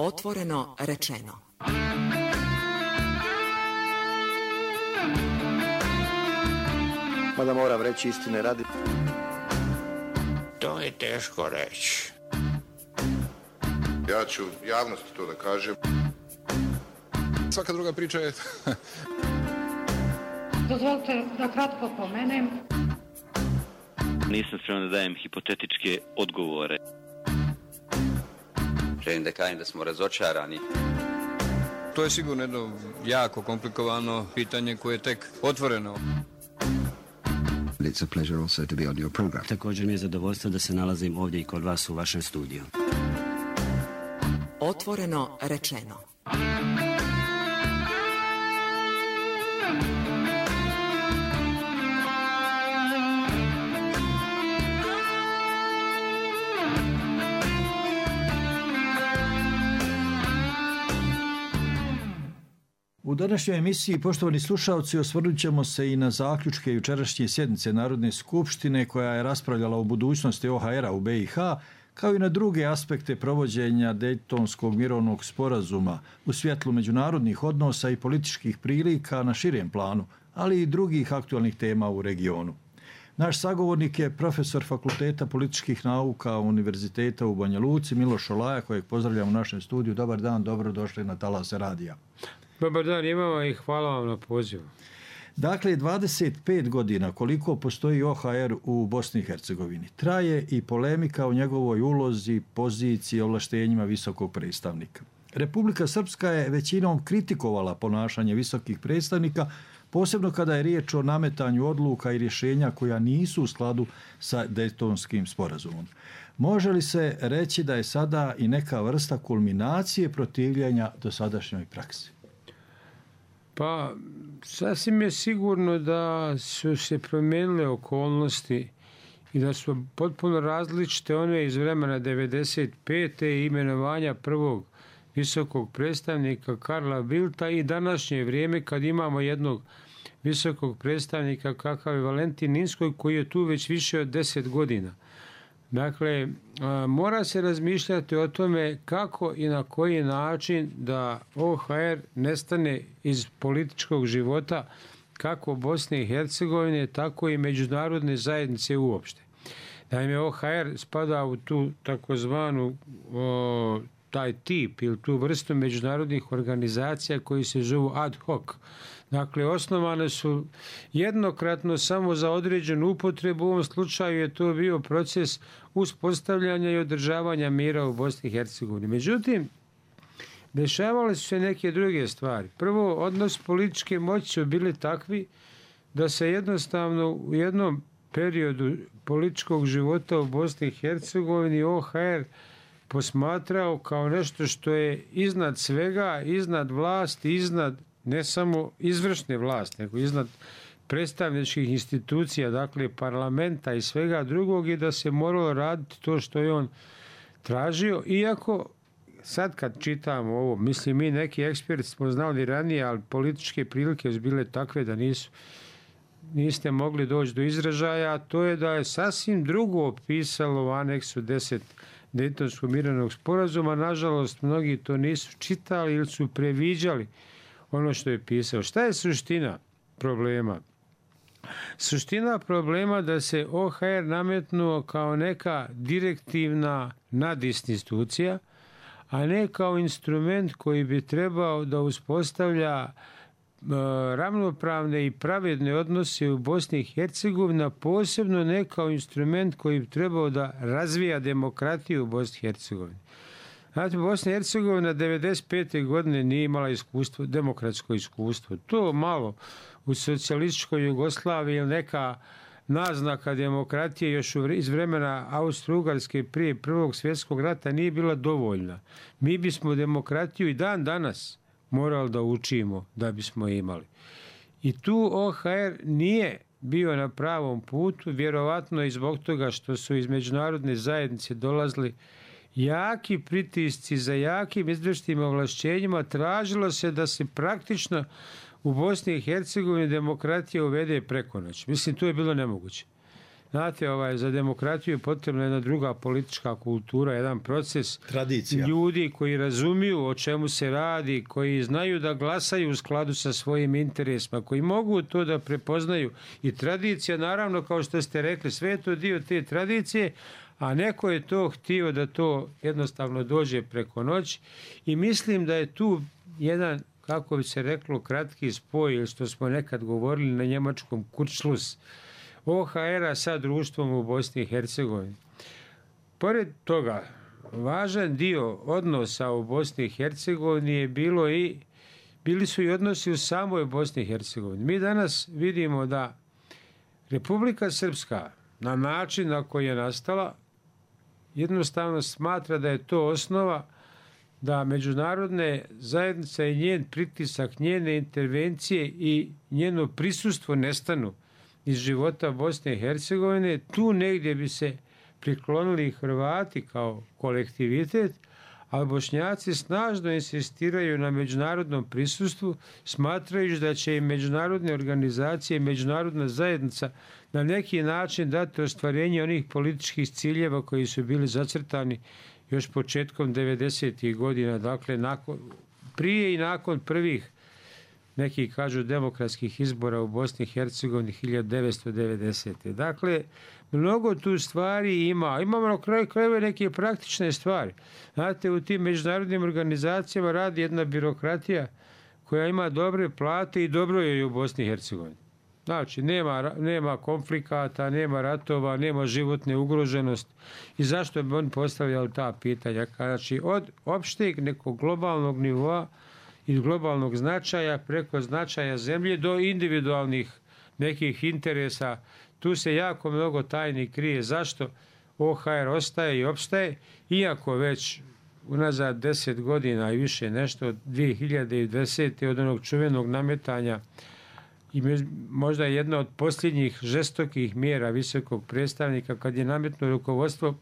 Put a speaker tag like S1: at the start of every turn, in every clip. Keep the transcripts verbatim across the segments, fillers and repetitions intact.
S1: Otvoreno rečeno.
S2: Mada moram reći istine radi.
S3: To je teško reći.
S4: Ja ću javnosti to da kažem.
S5: Svaka druga priča je...
S6: Dozvolite da kratko pomenem.
S7: Nisam spreman da dajem hipotetičke odgovore.
S8: Želim da kažem da smo razočarani.
S5: To je sigurno jedno jako komplikovano pitanje koje je tek otvoreno.
S9: It's a pleasure also to be on your program.
S10: Također mi je zadovoljstvo da se nalazim ovdje i kod vas u vašem studiju.
S1: Otvoreno rečeno.
S11: U današnjoj emisiji, poštovani slušalci, osvrnut ćemo se i na zaključke jučerašnje sjednice Narodne skupštine koja je raspravljala o budućnosti O H R-a u B i H, kao i na druge aspekte provođenja Dejtonskog mirovnog sporazuma u svjetlu međunarodnih odnosa i političkih prilika na širem planu, ali i drugih aktualnih tema u regionu. Naš sagovornik je profesor Fakulteta političkih nauka Univerziteta u Banja Luci, Miloš Olaja, kojeg pozdravljam u našem studiju. Dobar dan, dobrodošli na Talase radija.
S12: Dobar dan, imamo i hvala vam na pozivu.
S11: Dakle, dvadeset pet godina koliko postoji O H R u Bosni i Hercegovini. Traje i polemika o njegovoj ulozi, poziciji, ovlaštenjima visokog predstavnika. Republika Srpska je većinom kritikovala ponašanje visokih predstavnika, posebno kada je riječ o nametanju odluka i rješenja koja nisu u skladu sa Dejtonskim sporazumom. Može li se reći da je sada i neka vrsta kulminacije protivljenja dosadašnjoj praksi?
S12: Pa, sasvim je sigurno da su se promijenile okolnosti i da su potpuno različite one iz vremena devedeset pete i imenovanja prvog visokog predstavnika Karla Bildta i današnje vrijeme kad imamo jednog visokog predstavnika kakav je Valentin Inzko koji je tu već više od deset godina. Dakle, mora se razmišljati o tome kako i na koji način da O H R nestane iz političkog života kako Bosne i Hercegovine, tako i međunarodne zajednice uopšte. Naime, O H R spada u tu takozvanu o, taj tip ili tu vrstu međunarodnih organizacija koji se zovu ad hoc. Dakle, osnovane su jednokratno samo za određenu upotrebu. U ovom slučaju je to bio proces uspostavljanja i održavanja mira u Bosni i Hercegovini. Međutim, dešavale su se neke druge stvari. Prvo, odnos političke moći su bili takvi da se jednostavno u jednom periodu političkog života u Bosni i Hercegovini O H R posmatrao kao nešto što je iznad svega, iznad vlasti, iznad ne samo izvršne vlasti, nego iznad predstavničkih institucija, dakle parlamenta i svega drugog i da se moralo raditi to što je on tražio. Iako sad kad čitamo ovo, mislim mi neki eksperti smo znali ranije, ali političke prilike su bile takve da nisu, niste mogli doći do izražaja, a to je da je sasvim drugo pisalo u aneksu deset Dejtonskog mirovnog sporazuma. Nažalost, mnogi to nisu čitali ili su previđali ono što je pisao. Šta je suština problema? Suština problema da se O H R nametnuo kao neka direktivna nadinstitucija, a ne kao instrument koji bi trebao da uspostavlja ravnopravne i pravedne odnose u Bosni i Hercegovini, posebno ne kao instrument koji bi trebao da razvija demokratiju u Bosni i Hercegovini. Znate, Bosna i Hercegovina devedeset pete godine nije imala iskustvo, demokratsko iskustvo. To malo u socijalističkoj Jugoslaviji ili neka naznaka demokratije još iz vremena Austro-Ugarske prije Prvog svjetskog rata nije bila dovoljna. Mi bismo demokratiju i dan danas morali da učimo da bismo imali. I tu O H R nije bio na pravom putu, vjerovatno i zbog toga što su iz međunarodne zajednice dolazili jaki pritisci za jakim izvršnim ovlašćenjima. Tražilo se da se praktično u Bosni i Hercegovini demokratija uvede preko noći. Mislim, to je bilo nemoguće. Znate, ovaj, za demokratiju je potrebna jedna druga politička kultura, jedan proces
S11: tradicija
S12: ljudi koji razumiju o čemu se radi, koji znaju da glasaju u skladu sa svojim interesima, koji mogu to da prepoznaju. I tradicija, naravno, kao što ste rekli, sve je to dio te tradicije, a neko je to htio da to jednostavno dođe preko noći i mislim da je tu jedan, kako bi se reklo, kratki spoj, ili što smo nekad govorili na njemačkom Kurzschluss, O H R-a sa društvom u Bosni i Hercegovini. Pored toga, važan dio odnosa u Bosni i Hercegovini je bilo i, bili su i odnosi u samoj Bosni i Hercegovini. Mi danas vidimo da Republika Srpska, na način na koji je nastala, jednostavno smatra da je to osnova da međunarodne zajednice i njen pritisak, njene intervencije i njeno prisustvo nestanu iz života Bosne i Hercegovine. Tu negdje bi se priklonili Hrvati kao kolektivitet, ali Bošnjaci snažno insistiraju na međunarodnom prisustvu, smatrajući da će i međunarodne organizacije i međunarodna zajednica na neki način dati ostvarenje onih političkih ciljeva koji su bili zacrtani još početkom devedesetih godina, dakle nakon, prije i nakon prvih, neki kažu, demokratskih izbora u Bosni i Hercegovini hiljadu devetsto devedesete. Dakle, mnogo tu stvari ima. Imamo na kraju krajeva neke praktične stvari. Znate, u tim međunarodnim organizacijama radi jedna birokratija koja ima dobre plate i dobro je u Bosni i Hercegovini. Znači, nema, nema konflikata, nema ratova, nema životne ugroženosti. I zašto bi on postavljali ta pitanja? Znači, od opšteg nekog globalnog nivoa i globalnog značaja preko značaja zemlje do individualnih nekih interesa. Tu se jako mnogo tajni krije. Zašto O H R ostaje i opstaje, iako već unazad deset godina i više nešto od dvije hiljade desete. od onog čuvenog nametanja i možda jedna od posljednjih žestokih mjera visokog predstavnika kad je nametno rukovodstvo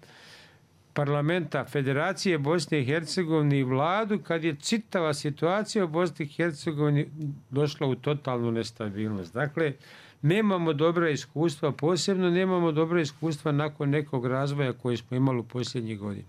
S12: parlamenta Federacije Bosne i Hercegovine i vladu, kad je čitava situacija u Bosni i Hercegovini došla u totalnu nestabilnost. Dakle, nemamo dobra iskustva, posebno nemamo dobra iskustva nakon nekog razvoja koji smo imali u posljednjih godina.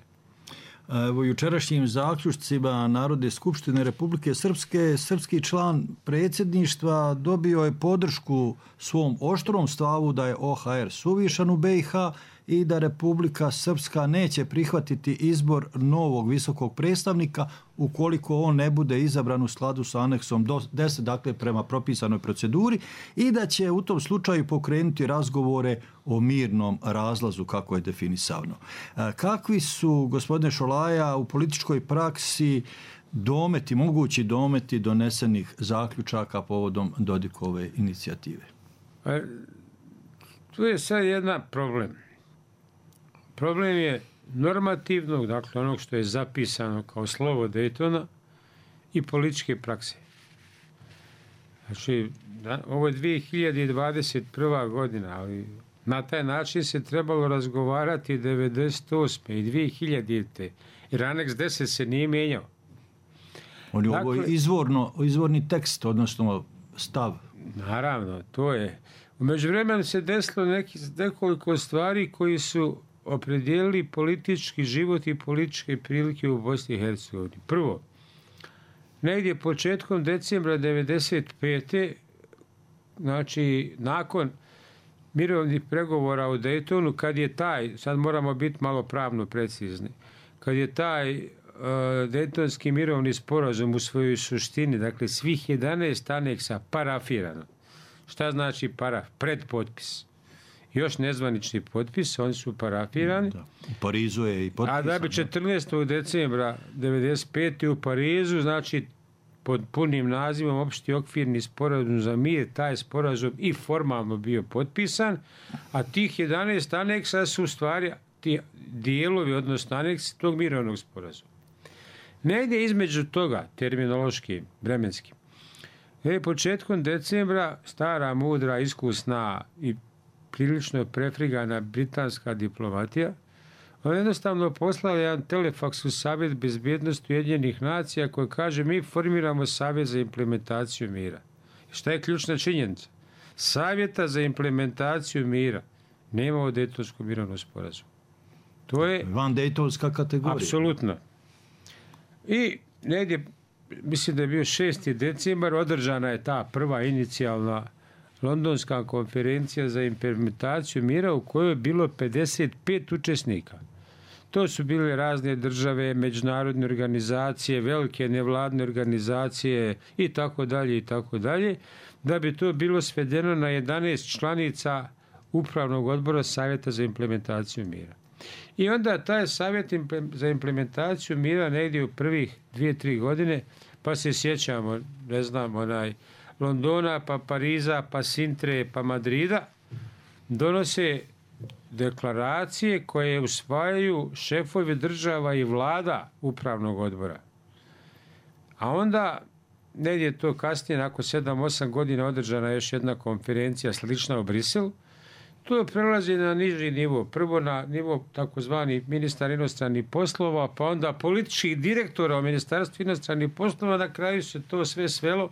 S11: Evo, jučerašnjim zaključcima Narodne skupštine Republike Srpske, srpski član predsjedništva dobio je podršku svom oštrom stavu da je O H R suvišan u B i H i da Republika Srpska neće prihvatiti izbor novog visokog predstavnika ukoliko on ne bude izabran u skladu sa aneksom deset, dakle prema propisanoj proceduri, i da će u tom slučaju pokrenuti razgovore o mirnom razlazu, kako je definisano. Kakvi su, gospodine Šolaja, u političkoj praksi dometi, mogući dometi donesenih zaključaka povodom Dodikove inicijative?
S12: Tu je sad jedan problem. Problem je normativnog, dakle onog što je zapisano kao slovo Daytona, i političke prakse. Znači, da, ovo je dvije hiljade dvadeset prva. godina, ali na taj način se trebalo razgovarati devedeset osme i dvije hiljadite. Jer aneks deset se nije mijenjao.
S11: On je dakle, ovo izvorno, izvorni tekst, odnosno stav.
S12: Naravno, to je. U međuvremenu se desilo neki, nekoliko stvari koji su opredijelili politički život i političke prilike u Bosni i Hercegovini. Prvo, negdje početkom decembra devedeset pete. znači nakon mirovnih pregovora u Daytonu, kad je taj, sad moramo biti malo pravno precizni, kad je taj uh, Daytonski mirovni sporazum u svojoj suštini, dakle svih jedanaest aneksa parafirano. Šta znači paraf? Predpotpis. Još nezvanični potpis, oni su parafirani.
S11: Da. U Parizu je i potpisan.
S12: A da bi četrnaestog decembra devedeset pete. u Parizu, znači pod punim nazivom Opšti okvirni sporazum za mir, taj sporazum i formalno bio potpisan, a tih jedanaest aneksa su u stvari ti dijelovi, odnosno aneksi tog mirovnog sporazuma. Negdje između toga, terminološki, vremenski, je početkom decembra stara, mudra, iskusna i prilično prefrigana britanska diplomatija, on jednostavno poslala jedan telefaks u Savjet bezbjednosti Ujedinjenih nacija koji kaže mi formiramo Savjet za implementaciju mira. Šta je ključna činjenica? Savjeta za implementaciju mira nema o Dejtonskom mirovnom sporazumu. To je
S11: van Dejtonska kategorija.
S12: Apsolutno. I negdje, mislim da je bio šesti decembar, održana je ta prva inicijalna Londonska konferencija za implementaciju mira u kojoj je bilo pedeset pet učesnika. To su bile razne države, međunarodne organizacije, velike nevladne organizacije i tako dalje i tako dalje, da bi to bilo svedeno na jedanaest članica Upravnog odbora Savjeta za implementaciju mira. I onda taj Savjet za implementaciju mira negdje u prvih dvije, tri godine, pa se sjećamo, ne znam, onaj Londona, pa Pariza, pa Sintre, pa Madrida, donose deklaracije koje usvajaju šefovi država i vlada Upravnog odbora. A onda, negdje to kasnije, nakon sedam osam godina, održana još jedna konferencija slična u Briselu. To prelazi na niži nivo. Prvo na nivo takozvani ministar inostranih poslova, pa onda političkih direktora u Ministarstvu inostranih poslova. Na kraju se to sve svelo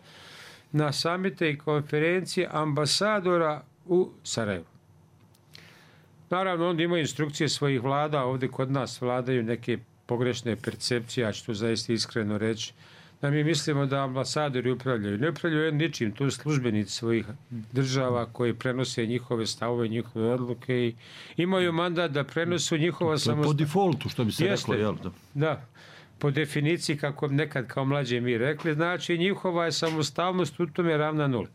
S12: na samite i konferencije ambasadora u Sarajevu. Naravno, onda ima instrukcije svojih vlada. Ovdje kod nas vladaju neke pogrešne percepcije, a što zaista iskreno reći, da mi mislimo da ambasadori upravljaju. Ne upravljaju ničim, to su službenici svojih država koji prenose njihove stavove, njihove odluke i imaju mandat da prenosu njihova samostalnost.
S11: Po defaultu, što bi se
S12: Jeste,
S11: reklo, jel? Da.
S12: da, po definiciji, kako nekad kao mlađe mi rekli, znači njihova je samostalnost u tome ravna nula.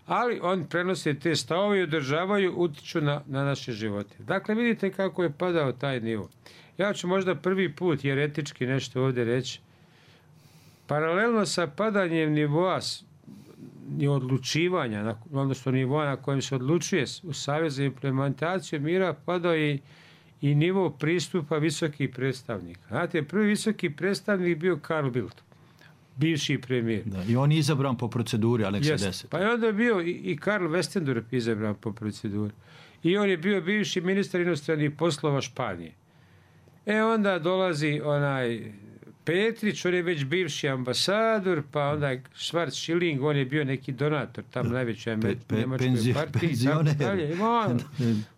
S12: Ali oni prenose te stavove i održavaju, utiču na, na naše živote. Dakle, vidite kako je padao taj nivo. Ja ću možda prvi put jer etički nešto ovdje reći. Paralelno sa padanjem nivoa i odlučivanja, odnosno nivoa na kojem se odlučuje u Savjet za implementaciju mira, padao i, i nivo pristupa visokih predstavnika. Znate, prvi visoki predstavnik bio Carl Bildt, bivši premijer.
S11: Da, i on je izabran po proceduri Aneksa deset.
S12: Pa je onda bio i, i Karl Westendorp izabran po proceduri. I on je bio bivši ministar inostranih poslova Španije. E onda dolazi onaj Petrić, on je već bivši ambasador, pa onda Schwarz-Schilling, on je bio neki donator tam najvećoj pe, pe, njemačkoj penzio, partiji. On,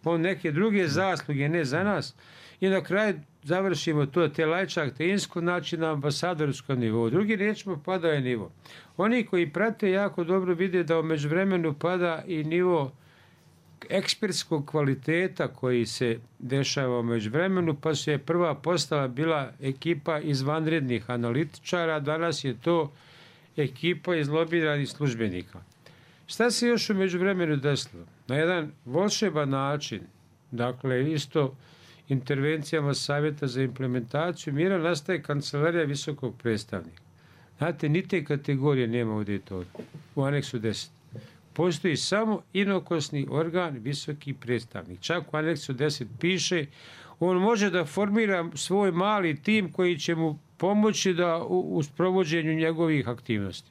S12: on neke druge zasluge, ne za nas. I na kraju završimo to, te lajčak, te insko, znači na ambasadorskom nivou. Drugi riječima pada je nivo. Oni koji prate jako dobro vide da u međuvremenu pada i nivo ekspertskog kvaliteta koji se dešava u međuvremenu, pa su je prva postava bila ekipa izvanrednih analitičara, danas je to ekipa izlobiranih službenika. Šta se još u međuvremenu desilo? Na jedan volšeban način, dakle isto intervencijama Savjeta za implementaciju mira, nastaje kancelarija visokog predstavnika. Znate, ni te kategorije nema ovdje to u aneksu deset. Postoji samo inokosni organ visoki predstavnik. Čak u aneksu deset piše, on može da formira svoj mali tim koji će mu pomoći da u, u sprovođenju njegovih aktivnosti.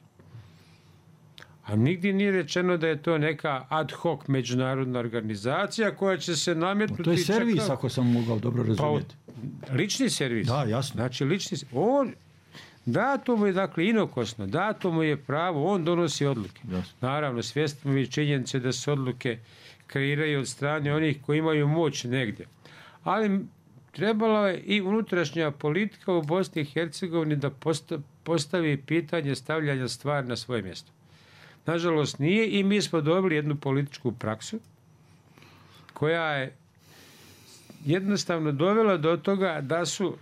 S12: A nigdje nije rečeno da je to neka ad hoc međunarodna organizacija koja će se nametnuti...
S11: To je servis, čekao. Ako sam mogao dobro razumjeti.
S12: Pa, lični servis.
S11: Da, jasno.
S12: Znači, lični on... Dato mu je, dakle, inokosno, dato mu je pravo, on donosi odluke. Jasno. Naravno, svjesno mi je činjenice da se odluke kreiraju od strane onih koji imaju moć negdje. Ali trebalo je i unutrašnja politika u Bosni i Hercegovini da postavi pitanje stavljanja stvari na svoje mjesto. Nažalost nije i mi smo dobili jednu političku praksu koja je jednostavno dovela do toga da su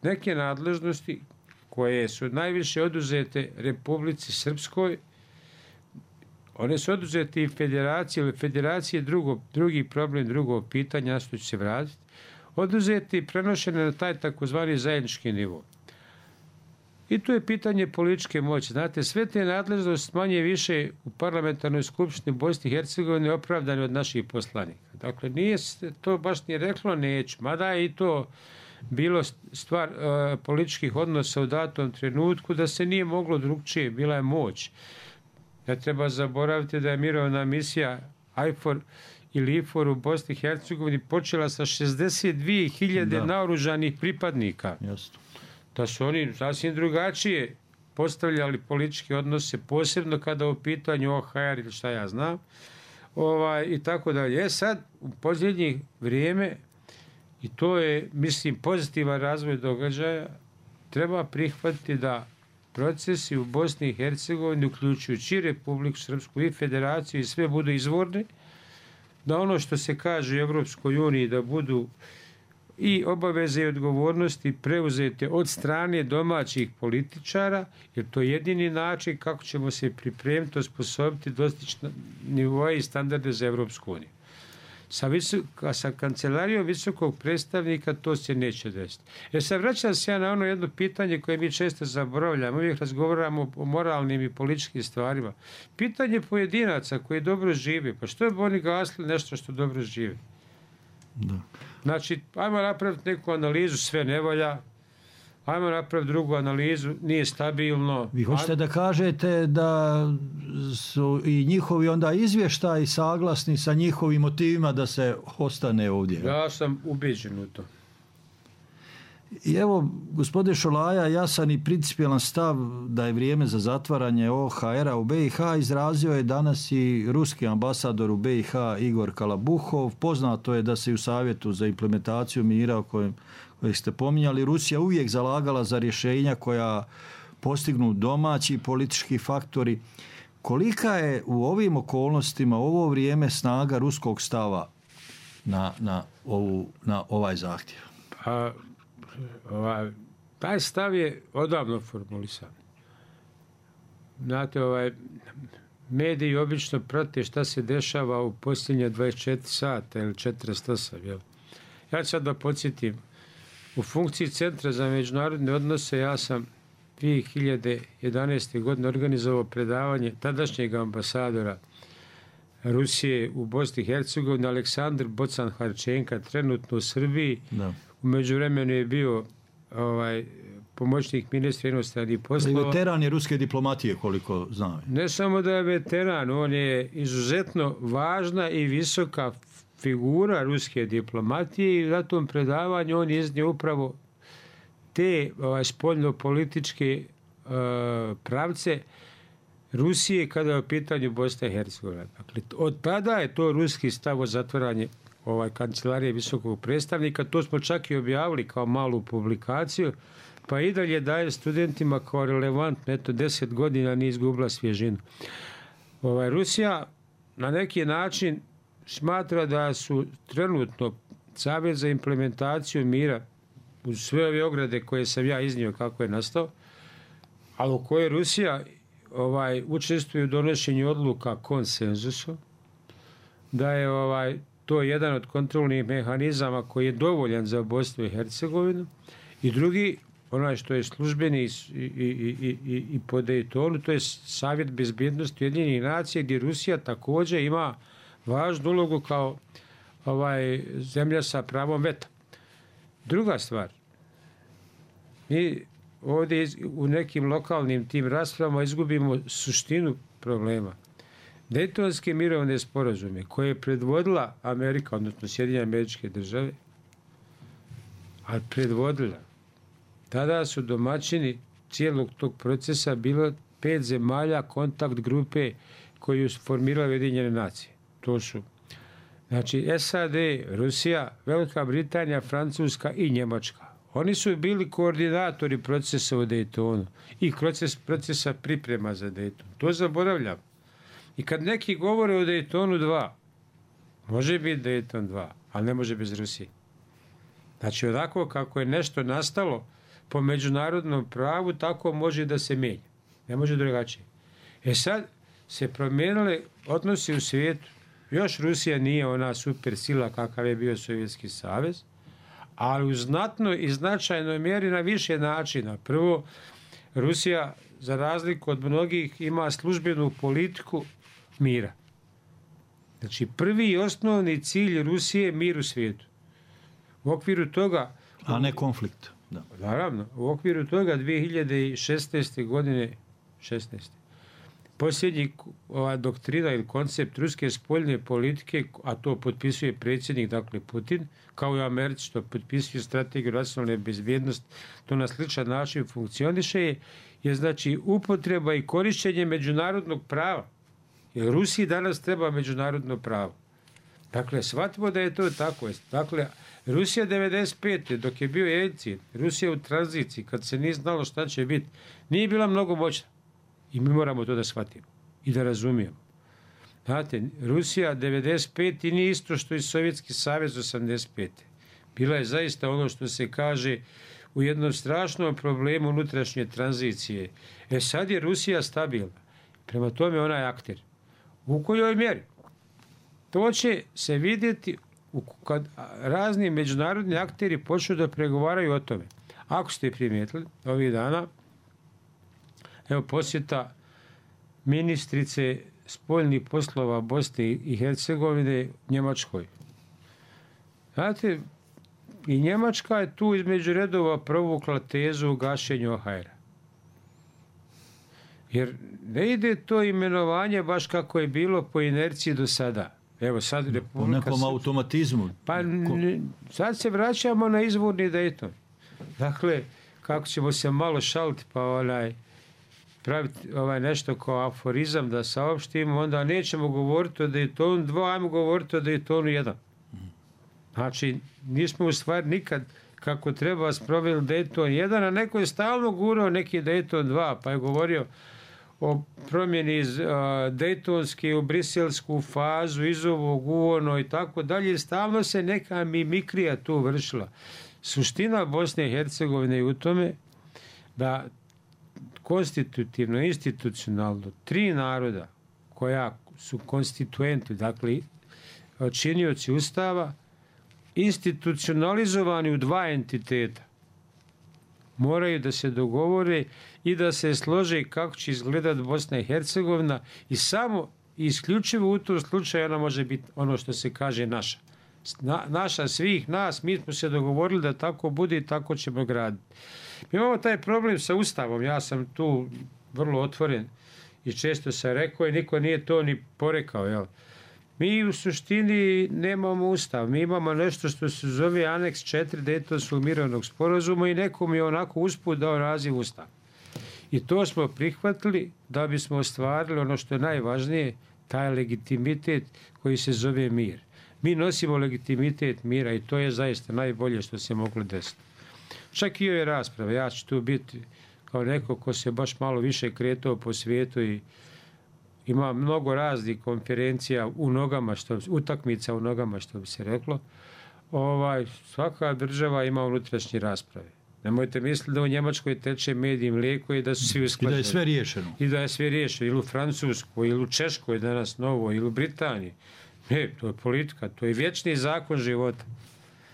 S12: neke nadležnosti koje su najviše oduzete Republici Srpskoj, one su oduzete i federaciji, ili federacije drugo, drugi problem, drugo pitanje, na što ću se vratiti, oduzete i prenošene na taj takozvani zajednički nivo. I tu je pitanje političke moći. Znate, sve te nadležnosti manje više u parlamentarnoj skupštini Bosni i Hercegovine opravdane od naših poslanika. Dakle, nije to baš ni reklo neću, mada je i to bilo stvar uh, političkih odnosa u datom trenutku da se nije moglo drugčije, bila je moć. Ne treba zaboraviti da je mirovna misija I F O R ili I F O R u Bosni i Hercegovini počela sa šezdeset dvije hiljade naoružanih pripadnika.
S11: Jasno.
S12: Da su oni sasvim drugačije postavljali političke odnose, posebno kada u pitanju O H R ili šta ja znam. ovaj, i tako dalje. E sad, u posljednjih vrijeme, i to je, mislim, pozitivan razvoj događaja, treba prihvatiti da procesi u Bosni i Hercegovini, uključujući i Republiku Srpsku i Federaciju, i sve budu izvorni, da ono što se kaže u Evropskoj uniji da budu i obaveze i odgovornosti preuzete od strane domaćih političara, jer to je jedini način kako ćemo se pripremiti, osposobiti, dostići nivoje i standarde za Evropsku uniju. Sa, visoka, sa kancelarijom visokog predstavnika to se neće desiti. Jer sad vraćam se ja na ono jedno pitanje koje mi često zaboravljamo. Uvijek razgovaramo o moralnim i političkim stvarima. Pitanje pojedinaca koji dobro žive. Pa što je bi oni gasli nešto što dobro žive?
S11: Da.
S12: Znači, ajmo napraviti neku analizu, sve ne valja. Ajmo napraviti drugu analizu, nije stabilno.
S11: Vi hoćete da kažete da su i njihovi onda izvještaji saglasni sa njihovim motivima da se ostane ovdje?
S12: Ja sam ubeđen u to.
S11: I evo, gospodin Šolaja, jasan i principijelan stav da je vrijeme za zatvaranje O H R-a u B i H izrazio je danas i ruski ambasador u B i H Igor Kalabuhov. Poznato je da se u Savjetu za implementaciju mira o kojem kojeg ste pominjali, Rusija uvijek zalagala za rješenja koja postignu domaći politički faktori. Kolika je u ovim okolnostima, u ovo vrijeme, snaga ruskog stava na, na, ovu, na ovaj zahtjev?
S12: Pa, ovaj, taj stav je odavno formulisan. Znate, ovaj, mediji obično prate šta se dešava u posljednje dvadeset četiri sata ili četrdeset osam. Jel? Ja ću sad da podsjetim. U funkciji Centra za međunarodne odnose ja sam dvije hiljade jedanaeste. godine organizovao predavanje tadašnjeg ambasadora Rusije u Bosni i Hercegovini, Aleksandar Bocan-Harčenka, trenutno u Srbiji. Da. U međuvremenu je bio ovaj, pomoćnik ministra inostranih poslova.
S11: Veteran je ruske diplomatije, koliko znam.
S12: Ne samo da je veteran, on je izuzetno važna i visoka figura ruske diplomatije i na tom predavanju on iznio upravo te ovaj, spoljno-političke uh, pravce Rusije kada je u pitanju Bosna i Hercegovina. Dakle, od tada je to ruski stav o zatvaranje ovaj, kancelarije visokog predstavnika. To smo čak i objavili kao malu publikaciju, pa i dalje daje studentima kao relevantno. Eto, deset godina nije izgubila svježinu. Ovaj, Rusija na neki način smatra da su trenutno Savjet za implementaciju mira uz sve ove ograde koje sam ja iznio kako je nastao, ali u kojoj Rusija ovaj, učestvuje u donošenju odluka konsenzusom, da je ovaj, to jedan od kontrolnih mehanizama koji je dovoljan za Bosnu i Hercegovinu, i drugi, onaj što je službeni i, i, i, i, i po Daytonu, to je Savjet bezbjednosti Ujedinjenih nacija, gdje Rusija također ima važnu ulogu kao ovaj, zemlja sa pravom veta. Druga stvar, mi ovdje u nekim lokalnim tim raspravama izgubimo suštinu problema. Daytonske mirovne sporazume koje je predvodila Amerika, odnosno Sjedinjene Američke Države, ali predvodila, tada su domaćini cijelog tog procesa bilo pet zemalja kontakt grupe koju su formirale Ujedinjene nacije. To su znači S A D, Rusija, Velika Britanija, Francuska i Njemačka. Oni su bili koordinatori procesa u Daytonu i proces, procesa priprema za Dayton. To zaboravljam. I kad neki govore o Daytonu dva, može biti Dayton dva, ali ne može bez Rusije. Znači, onako kako je nešto nastalo po međunarodnom pravu, tako može da se menja. Ne može drugačije. E sad se promijenile odnosi u svijetu. Još Rusija nije ona super sila kakav je bio Sovjetski savez, ali u znatnoj i značajnoj mjeri na više načina. Prvo, Rusija, za razliku od mnogih, ima službenu politiku mira. Znači, prvi i osnovni cilj Rusije je mir u svijetu. U okviru toga...
S11: A ne konflikt. Da.
S12: Naravno, u okviru toga dvije hiljade šesnaeste. godine, šesnaeste. posljednji ova doktrina ili koncept ruske spoljne politike, a to potpisuje predsjednik, dakle Putin, kao i Americi što potpisuje strategiju nacionalne bezbjednosti, to na sličan način funkcioniše, je znači upotreba i korišćenje međunarodnog prava Jer Rusiji danas treba međunarodno pravo. Dakle, shvatimo da je to tako. Dakle, Rusija devedeset pete dok je bio Jeljcin, Rusija u tranziciji, kad se nije znalo šta će biti, nije bila mnogo moćna. I mi moramo to da shvatimo i da razumijemo. Znate, Rusija devedeset pete nije isto što i Sovjetski savez osamdeset pete Bila je zaista ono što se kaže u jednom strašnom problemu unutrašnje tranzicije. E sad je Rusija stabilna. Prema tome ona je akter. U kojoj mjeri? To će se vidjeti kad razni međunarodni akteri počnu da pregovaraju o tome. Ako ste primijetili ovih dana, evo posjeta ministrice spoljnih poslova Bosne i Hercegovine Njemačkoj. Znate, i Njemačka je tu između redova provukla tezu o gašenju O H R-a. Jer ne ide to imenovanje baš kako je bilo po inerciji do sada. Evo sad Republika...
S11: Po nekom se... automatizmu.
S12: Pa n- sad se vraćamo na izvorni Dayton. Dakle, kako ćemo se malo šaliti pa onaj praviti ovaj nešto kao aforizam da saopštimo, onda nećemo govoriti o Daytonu dva, ajmo govoriti o Daytonu jedan. Znači, nismo u stvari nikad kako treba sproveli Dayton jedan, a neko je stalno gurao neki Dayton dva, pa je govorio o promjeni iz uh, Daytonske u briselsku fazu, iz ovog u ono i tako dalje. Stalno se neka mimikrija tu vršila. Suština Bosne i Hercegovine je u tome da konstitutivno, institucionalno, tri naroda koja su konstituenti, dakle činioci Ustava, institucionalizovani u dva entiteta, moraju da se dogovore i da se slože kako će izgledati Bosna i Hercegovina i samo i isključivo u tom slučaju ona može biti ono što se kaže naša. Na, naša svih nas, mi smo se dogovorili da tako bude i tako ćemo graditi. Mi imamo taj problem sa Ustavom, ja sam tu vrlo otvoren i često sam rekao i niko nije to ni porekao, jel? Mi u suštini nemamo Ustav, mi imamo nešto što se zove aneks četiri Daytonskog mirovnog sporazuma i nekom je onako usput dao naziv Ustav. I to smo prihvatili da bismo ostvarili ono što je najvažnije, taj legitimitet koji se zove mir. Mi nosimo legitimitet mira i to je zaista najbolje što se moglo desiti. Čak i ove rasprave, ja ću tu biti kao neko ko se baš malo više kretao po svijetu i ima mnogo raznih konferencija u nogama, što, utakmica u nogama, što bi se reklo. Ovaj, svaka država ima unutrašnje rasprave. Nemojte misliti da u Njemačkoj teče med i mlijeko i da su svi usklađeni.
S11: I da je sve riješeno.
S12: I da je sve riješeno. Ili u Francuskoj, ili u Češkoj danas novo, ili u Britaniji. Ne, to je politika, to je vječni zakon života.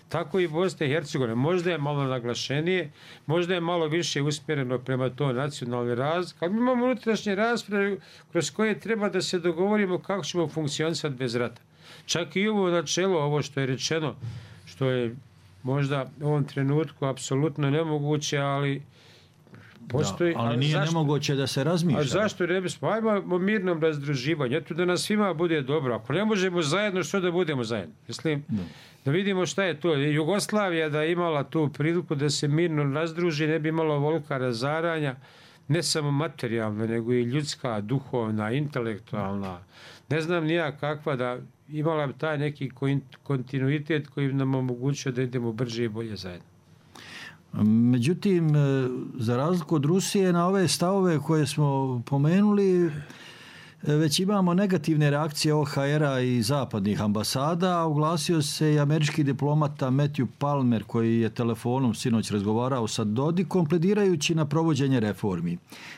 S12: Tako i Bosna i Hercegovina. Možda je malo naglašenije, možda je malo više usmjereno prema to nacionalni raz. Kad imamo unutrašnje rasprave kroz koje treba da se dogovorimo kako ćemo funkcionisati bez rata. Čak i ovo načelo, ovo što je rečeno, što je možda u ovom trenutku apsolutno nemoguće, ali postoji...
S11: Da, ali nije zašto, nemoguće da se razmišlja.
S12: A zašto ne bismo? Ajmo o mirnom razdruživanju. Eto da nas svima bude dobro. Ako ne možemo zajedno, što da budemo zajedno? Mislim, da. da vidimo šta je to. Jugoslavija da je imala tu priliku da se mirno razdruži, ne bi imalo volka razaranja, ne samo materijalno, nego i ljudska, duhovna, intelektualna. Ne znam nija kakva da imala bi taj neki kontinuitet koji nam omogućuje da idemo brže i bolje zajedno.
S11: Međutim, za razliku od Rusije, na ove stavove koje smo pomenuli, već imamo negativne reakcije O H R-a i zapadnih ambasada, a oglasio se i američki diplomata Matthew Palmer, koji je telefonom sinoć razgovarao sa Dodikom, pledirajući na provođenje reformi.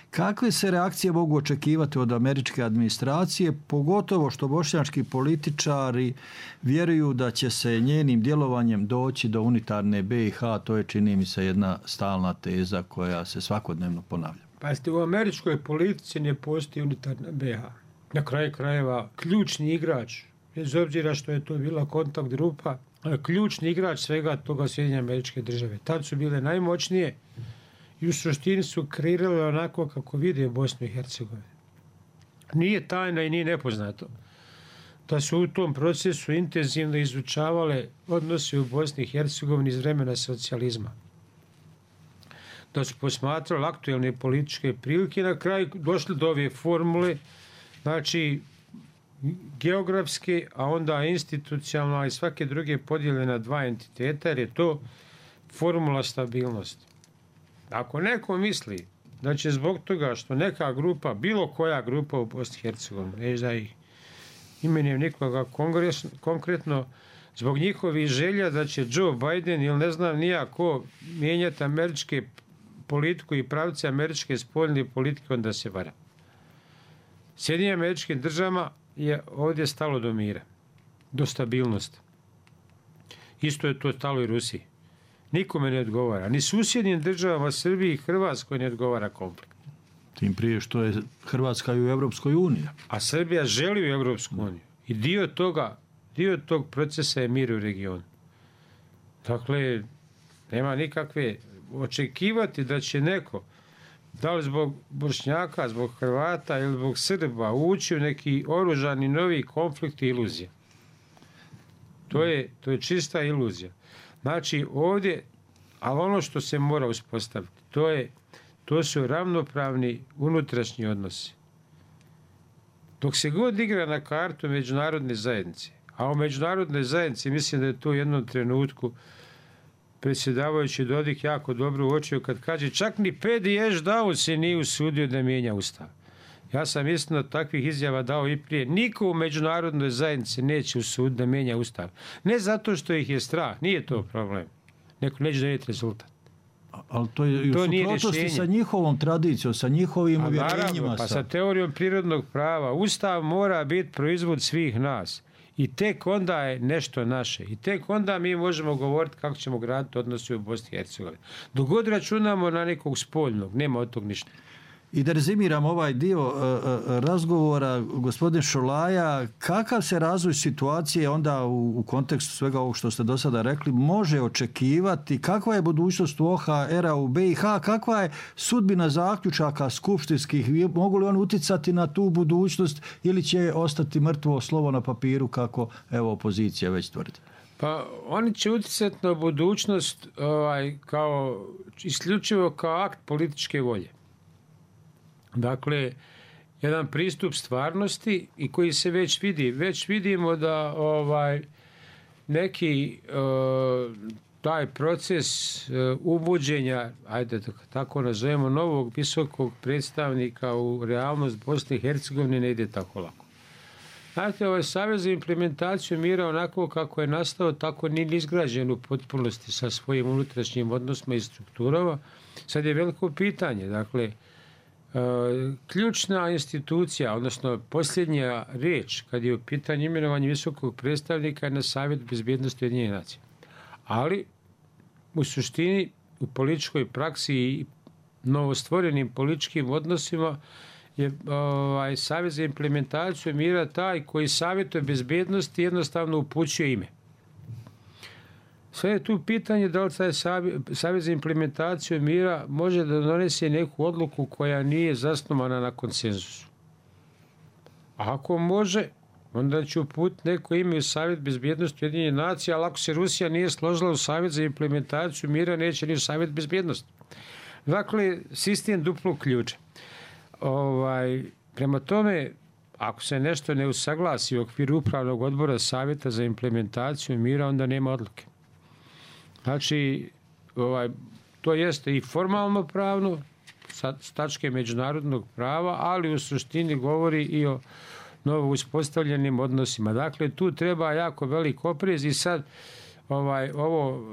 S11: Kakve se reakcije mogu očekivati od američke administracije, pogotovo što bošnjački političari vjeruju da će se njenim djelovanjem doći do unitarne B i H, to je, čini mi se, jedna stalna teza koja se svakodnevno ponavlja.
S12: Pa ste u američkoj politici ne postoji unitarna B i H. Na kraju krajeva ključni igrač, bez obzira što je to bila kontakt grupa, ključni igrač svega toga Sjedinjene Američke Države. Tad su bile najmoćnije i u suštini su kreirale onako kako vide Bosnu i Hercegovinu. Nije tajna i nije nepoznato da su u tom procesu intenzivno izučavale odnose u Bosni i Hercegovini iz vremena socijalizma. Da su posmatrali aktuelne političke prilike i na kraju došli do ove formule, znači geografske, a onda institucionalne i svake druge podjele na dva entiteta, jer je to formula stabilnosti. Ako neko misli da će zbog toga što neka grupa, bilo koja grupa u Bosni i Hercegovini, neće da ih imenujem nikoga kongres, konkretno, zbog njihovih želja da će Joe Biden ili ne znam nija ko mijenjati američke politiku i pravce američke spoljne politike, onda se vara. Sjedinjenim američkim državama je ovdje stalo do mira, do stabilnosti. Isto je to stalo i Rusiji. Nikome ne odgovara. Ni susjednim državama Srbiji i Hrvatskoj ne odgovara konflikt.
S11: Tim prije što je Hrvatska i u Evropskoj uniji.
S12: A Srbija želi u Evropsku uniju. I dio toga, dio tog procesa je mir u regionu. Dakle, nema nikakve očekivati da će neko, da li zbog Bošnjaka, zbog Hrvata ili zbog Srba, ući u neki oružani novi konflikt i iluzija. To je, to je čista iluzija. Znači, ovdje, ali ono što se mora uspostaviti, to je, to su ravnopravni unutrašnji odnosi. Dok se god igra na kartu međunarodne zajednice, a u međunarodnoj zajednici mislim da je to u jednom trenutku predsjedavajući Dodik jako dobro uočio kad kaže čak ni Pedi Ešdau se nije usudio da mijenja ustav. Ja sam istino takvih izjava dao i prije. Niko u međunarodnoj zajednici neće usuditi da mijenja ustav. Ne zato što ih je strah, nije to problem. Neko neće donijeti rezultat.
S11: Ali to je u suprotnosti sa njihovom tradicijom, sa njihovim uvjerenjima.
S12: Pa sa teorijom prirodnog prava. Ustav mora biti proizvod svih nas. I tek onda je nešto naše. I tek onda mi možemo govoriti kako ćemo graditi odnose u Bosni i Hercegovini. Dok god računamo na nekog spoljnog, nema od tog ništa.
S11: I da rezimiram ovaj dio uh, razgovora, gospodin Šolaja, kakav se razvoj situacije onda u, u kontekstu svega ovog što ste do sada rekli može očekivati, kakva je budućnost u O H R-a u B i H, kakva je sudbina zaključaka skupštinskih, mogu li on uticati na tu budućnost ili će ostati mrtvo slovo na papiru kako evo opozicija već tvrdi?
S12: Pa oni će uticati na budućnost ovaj, kao, isključivo kao akt političke volje. Dakle, jedan pristup stvarnosti i koji se već vidi. Već vidimo da ovaj neki uh, taj proces uh, uvođenja, ajde da tako nazovemo, novog visokog predstavnika u realnost Bosne i Hercegovine ne ide tako lako. Znate, ovaj savez za implementaciju mira onako kako je nastao, tako nije izgrađen u potpunosti sa svojim unutrašnjim odnosima i strukturama. Sad je veliko pitanje, dakle, ključna institucija, odnosno posljednja riječ kad je u pitanju imenovanja visokog predstavnika je na Savjet bezbjednosti Ujedinjenih nacija. Ali u suštini u političkoj praksi i novostvorenim političkim odnosima je ovaj, Savjet za implementaciju mira taj koji savjetuje bezbjednosti jednostavno upućuje ime. Sve je tu pitanje da li taj Savjet za implementaciju mira može da donese neku odluku koja nije zasnovana na konsenzusu. A ako može, onda će uputiti neko ime u Savjet bezbjednosti Ujedinjenih nacija, ali ako se Rusija nije složila u Savjet za implementaciju mira, neće ni u Savjet bezbjednosti. Dakle, sistem duplog ključa. Ovaj, prema tome, ako se nešto ne usaglasi u okviru upravnog odbora Savjeta za implementaciju mira, onda nema odluke. Znači, ovaj, to jeste i formalno pravno, sa tačke međunarodnog prava, ali u suštini govori i o novo uspostavljenim odnosima. Dakle, tu treba jako velik oprez i sad ovaj, ovo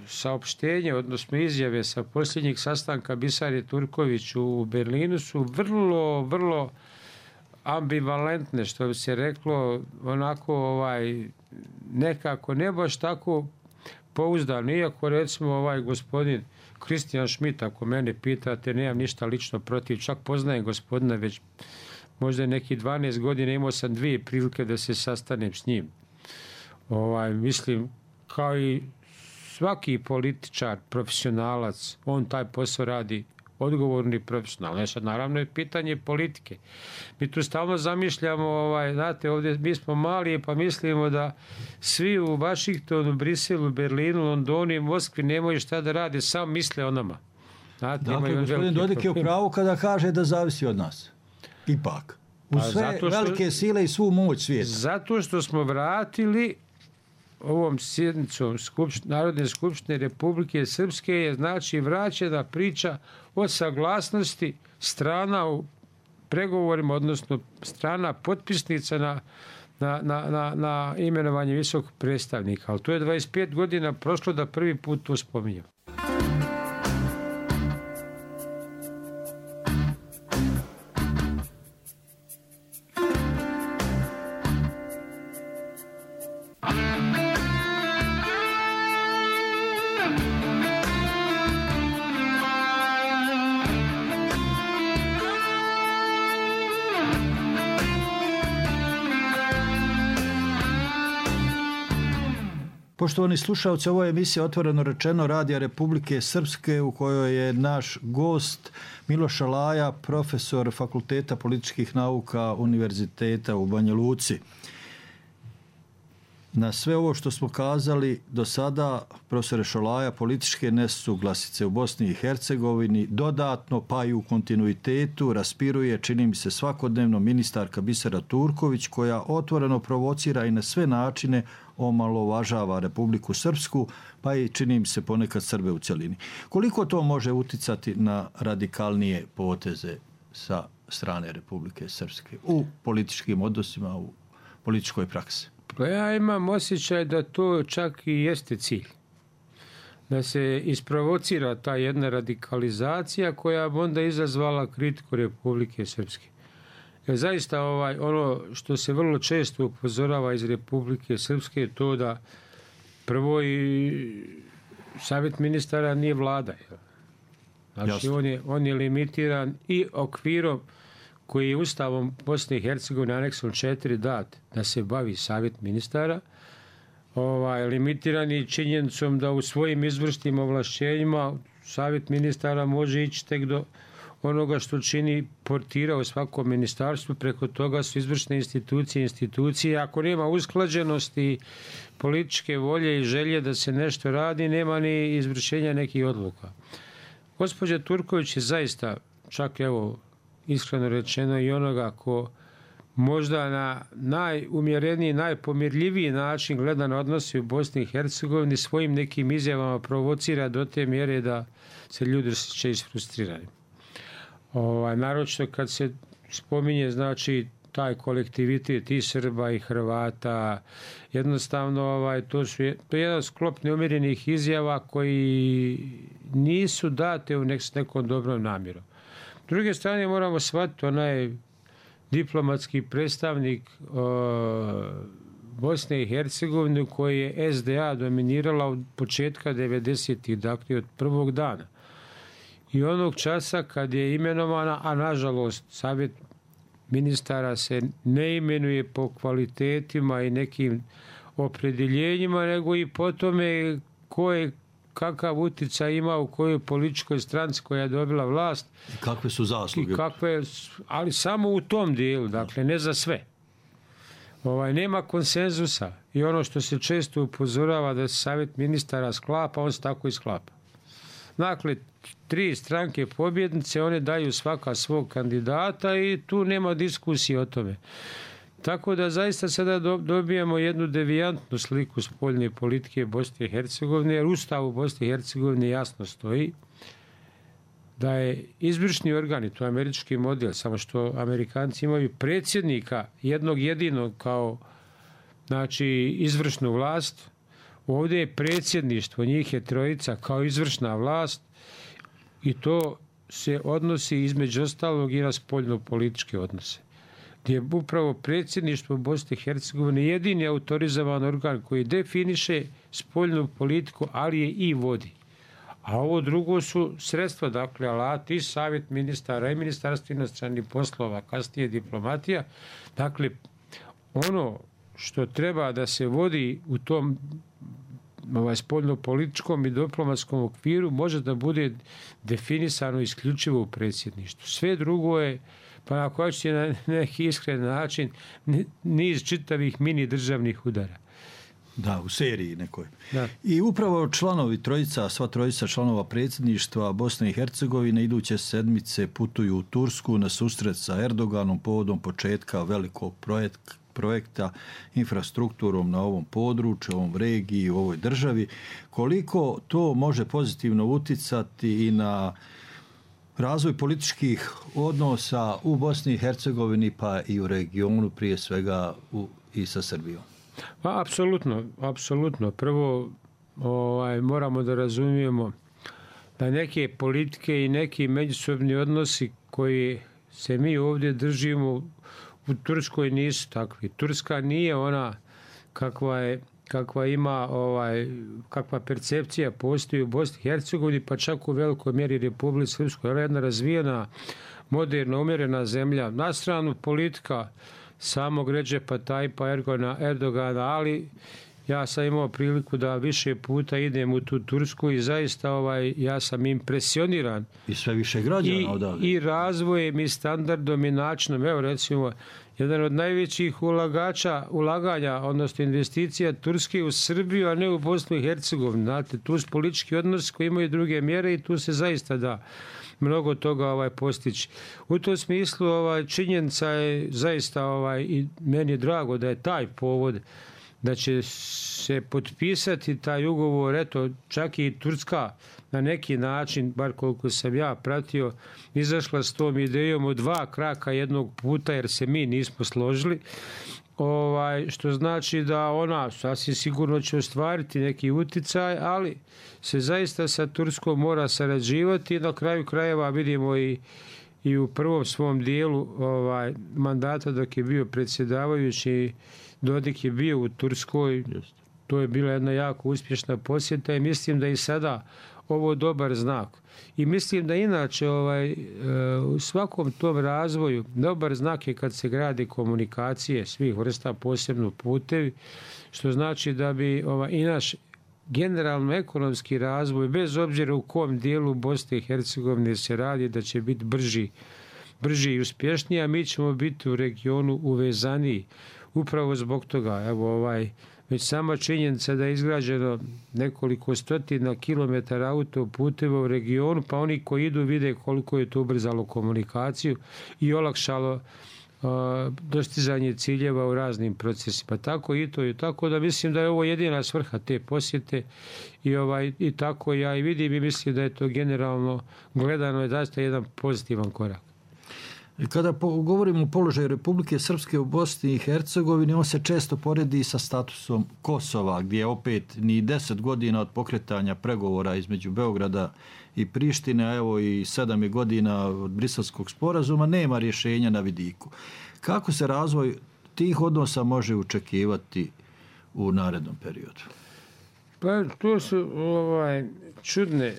S12: saopštenje, odnosno izjave sa posljednjeg sastanka Bisare Turković u Berlinu su vrlo, vrlo ambivalentne, što bi se reklo, onako ovaj, nekako ne baš tako pouzdano, iako recimo ovaj gospodin Kristijan Schmidt, ako mene pitate, nemam ništa lično protiv, čak poznajem gospodina već možda neki dvanaest godina, imao sam dvije prilike da se sastanem s njim. Ovaj, mislim, kao i svaki političar, profesionalac, on taj posao radi odgovorni profesionalno. Ne, sad naravno je pitanje politike. Mi tu stalno zamišljamo, ovaj, znate, ovdje mi smo mali pa mislimo da svi u Vašingtonu, Briselu, Berlinu, Londonu i Moskvi nemaju šta da rade, samo misle o nama. Znate,
S11: dakle, gospodin Dodik je u pravu kada kaže da zavisi od nas. Ipak. U sve što, velike sile i svu moć svijeta.
S12: Zato što smo vratili ovom sjednicom skupšt, Narodne skupštine Republike Srpske je znači vraćena priča o saglasnosti strana u pregovorima, odnosno strana potpisnica na, na, na, na, na imenovanje visokog predstavnika. Ali to je dvadeset pet godina prošlo da prvi put to spominjem.
S11: Poštovani slušalci, ovo je emisija Otvoreno rečeno Radija Republike Srpske u kojoj je naš gost Miloš Alaja, profesor Fakulteta političkih nauka Univerziteta u Banja Luci. Na sve ovo što smo kazali do sada, profesore Šolaja, političke nesuglasice u Bosni i Hercegovini dodatno pa i u kontinuitetu raspiruje, čini mi se svakodnevno, ministarka Bisera Turković, koja otvoreno provocira i na sve načine omalovažava Republiku Srpsku, pa i čini mi se ponekad Srbe u cjelini. Koliko to može uticati na radikalnije poteze sa strane Republike Srpske u političkim odnosima, u političkoj praksi?
S12: Pa ja imam osjećaj da to čak i jeste cilj. Da se isprovocira ta jedna radikalizacija koja bi onda izazvala kritiku Republike Srpske. Jer zaista ovaj, ono što se vrlo često upozorava iz Republike Srpske je to da prvo i savjet ministara nije vlada. Znači on je, on je limitiran i okvirom koji je Ustavom Bosne i Hercegovine aneksom četiri dat da se bavi savjet ministara, ovaj, limitiran je činjenicom da u svojim izvršnim ovlašćenjima savjet ministara može ići tek do onoga što čini portira u svakom ministarstvu, preko toga su izvršne institucije, institucije. Ako nema usklađenosti političke volje i želje da se nešto radi, nema ni izvršenja nekih odluka. Gospođa Turković je zaista, čak evo, iskreno rečeno i onoga ko možda na najumjereniji, najpomirljiviji način gleda na odnosi u Bosni i Hercegovini svojim nekim izjavama provocira do te mjere da se ljudi će isfrustrirani. Ovaj, naročito kad se spominje znači taj kolektivitet i Srba i Hrvata, jednostavno ovaj, to, su, to je jedan sklop neumjerenih izjava koji nisu date u nek, nekom dobrom namjerom. S druge strane moramo shvatiti onaj diplomatski predstavnik o, Bosne i Hercegovine koji je S D A dominirala od početka devedesetih, dakle od prvog dana. I onog časa kad je imenovana, a nažalost savjet ministara se ne imenuje po kvalitetima i nekim opredjeljenjima, nego i po tome ko je kakav utjecaj ima u kojoj političkoj stranci koja je dobila vlast.
S11: I kakve su zasluge.
S12: I kakve, ali samo u tom dijelu, dakle ne za sve. Ovaj, nema konsenzusa i ono što se često upozorava da se savjet ministara sklapa, on se tako i sklapa. Dakle, tri stranke pobjednice, one daju svaka svog kandidata i tu nema diskusije o tome. Tako da zaista sada dobijamo jednu devijantnu sliku spoljne politike Bosne i Hercegovine, jer Ustav u Bosni i Hercegovini jasno stoji da je izvršni organ, i to je američki model, samo što Amerikanci imaju predsjednika jednog jedinog kao znači, izvršnu vlast. Ovdje je predsjedništvo, njih je trojica kao izvršna vlast i to se odnosi između ostalog i na spoljno-političke odnose. Gdje je upravo predsjedništvo Bosne i Hercegovine jedini autorizovan organ koji definiše spoljnu politiku, ali je i vodi. A ovo drugo su sredstva, dakle, alati i savjet ministara i ministarstvo inostranih poslova, kasnije diplomatija. Dakle, ono što treba da se vodi u tom ovaj, spoljno-političkom i diplomatskom okviru može da bude definisano isključivo u predsjedništvu. Sve drugo je, pa ako hoćete na neki iskren način, niz čitavih mini državnih udara.
S11: Da, u seriji nekoj.
S12: Da.
S11: I upravo članovi trojica, sva trojica članova predsjedništva Bosne i Hercegovine iduće sedmice putuju u Tursku na susret sa Erdoganom povodom početka velikog projekta projekta infrastrukturom na ovom području, ovom regiji, u ovoj državi. Koliko to može pozitivno uticati i na razvoj političkih odnosa u Bosni i Hercegovini pa i u regionu, prije svega u, i sa Srbijom?
S12: Pa, apsolutno, apsolutno. Prvo ovaj, moramo da razumijemo da neke politike i neki međusobni odnosi koji se mi ovdje držimo u Turskoj nisu takvi. Turska nije ona kakva je kakva ima ovaj kakva percepcija postoji u Bosni i Hercegovini, pa čak u velikoj mjeri Republici Srpskoj. Ona je jedna razvijena, moderno umjerena zemlja. Na stranu politika samog Redžepa Tajpa Erdogana, ali ja sam imao priliku da više puta idem u tu Tursku i zaista ovaj, ja sam impresioniran.
S11: I sve više građana odavde.
S12: I razvojem i standardom i načinom. Evo recimo, jedan od najvećih ulagača, ulaganja, odnosno investicija Turske u Srbiju, a ne u Bosnu i Hercegovinu. Znate, tu su politički odnosi koji imaju druge mjere i tu se zaista da mnogo toga ovaj postići. U tom smislu ovaj, činjenica je zaista ovaj, i meni je drago da je taj povod da će se potpisati taj ugovor, eto, čak i Turska na neki način, bar koliko sam ja pratio, izašla s tom idejom od dva kraka jednog puta, jer se mi nismo složili, ovaj, što znači da ona sasvim sigurno će ostvariti neki uticaj, ali se zaista sa Turskom mora sarađivati i na kraju krajeva vidimo i i u prvom svom dijelu ovaj, mandata dok je bio predsjedavajući, Dodik je bio u Turskoj. To je bila jedna jako uspješna posjeta i mislim da i sada ovo dobar znak. I mislim da inače ovaj, u svakom tom razvoju dobar znak je kad se grade komunikacije svih vrsta, posebno putevi, što znači da bi ovaj, i naš generalno ekonomski razvoj, bez obzira u kom dijelu Bosne i Hercegovine se radi, da će biti brži, brži i uspješniji, a mi ćemo biti u regionu uvezaniji. Upravo zbog toga, evo ovaj, već sama činjenica da je izgrađeno nekoliko stotina kilometara autoputeva u regionu, pa oni koji idu vide koliko je to ubrzalo komunikaciju i olakšalo uh, dostizanje ciljeva u raznim procesima. Tako i to je tako da mislim da je ovo jedina svrha te posjete i, ovaj, i tako ja i vidim i mislim da je to generalno gledano je zaista jedan pozitivan korak.
S11: Kada govorimo o položaju Republike Srpske u Bosni i Hercegovini, on se često poredi sa statusom Kosova, gdje opet ni deset godina od pokretanja pregovora između Beograda i Prištine, a evo i sedam je godina od Briselskog sporazuma, nema rješenja na vidiku. Kako se razvoj tih odnosa može očekivati u narednom periodu?
S12: Pa to su ovaj, čudne,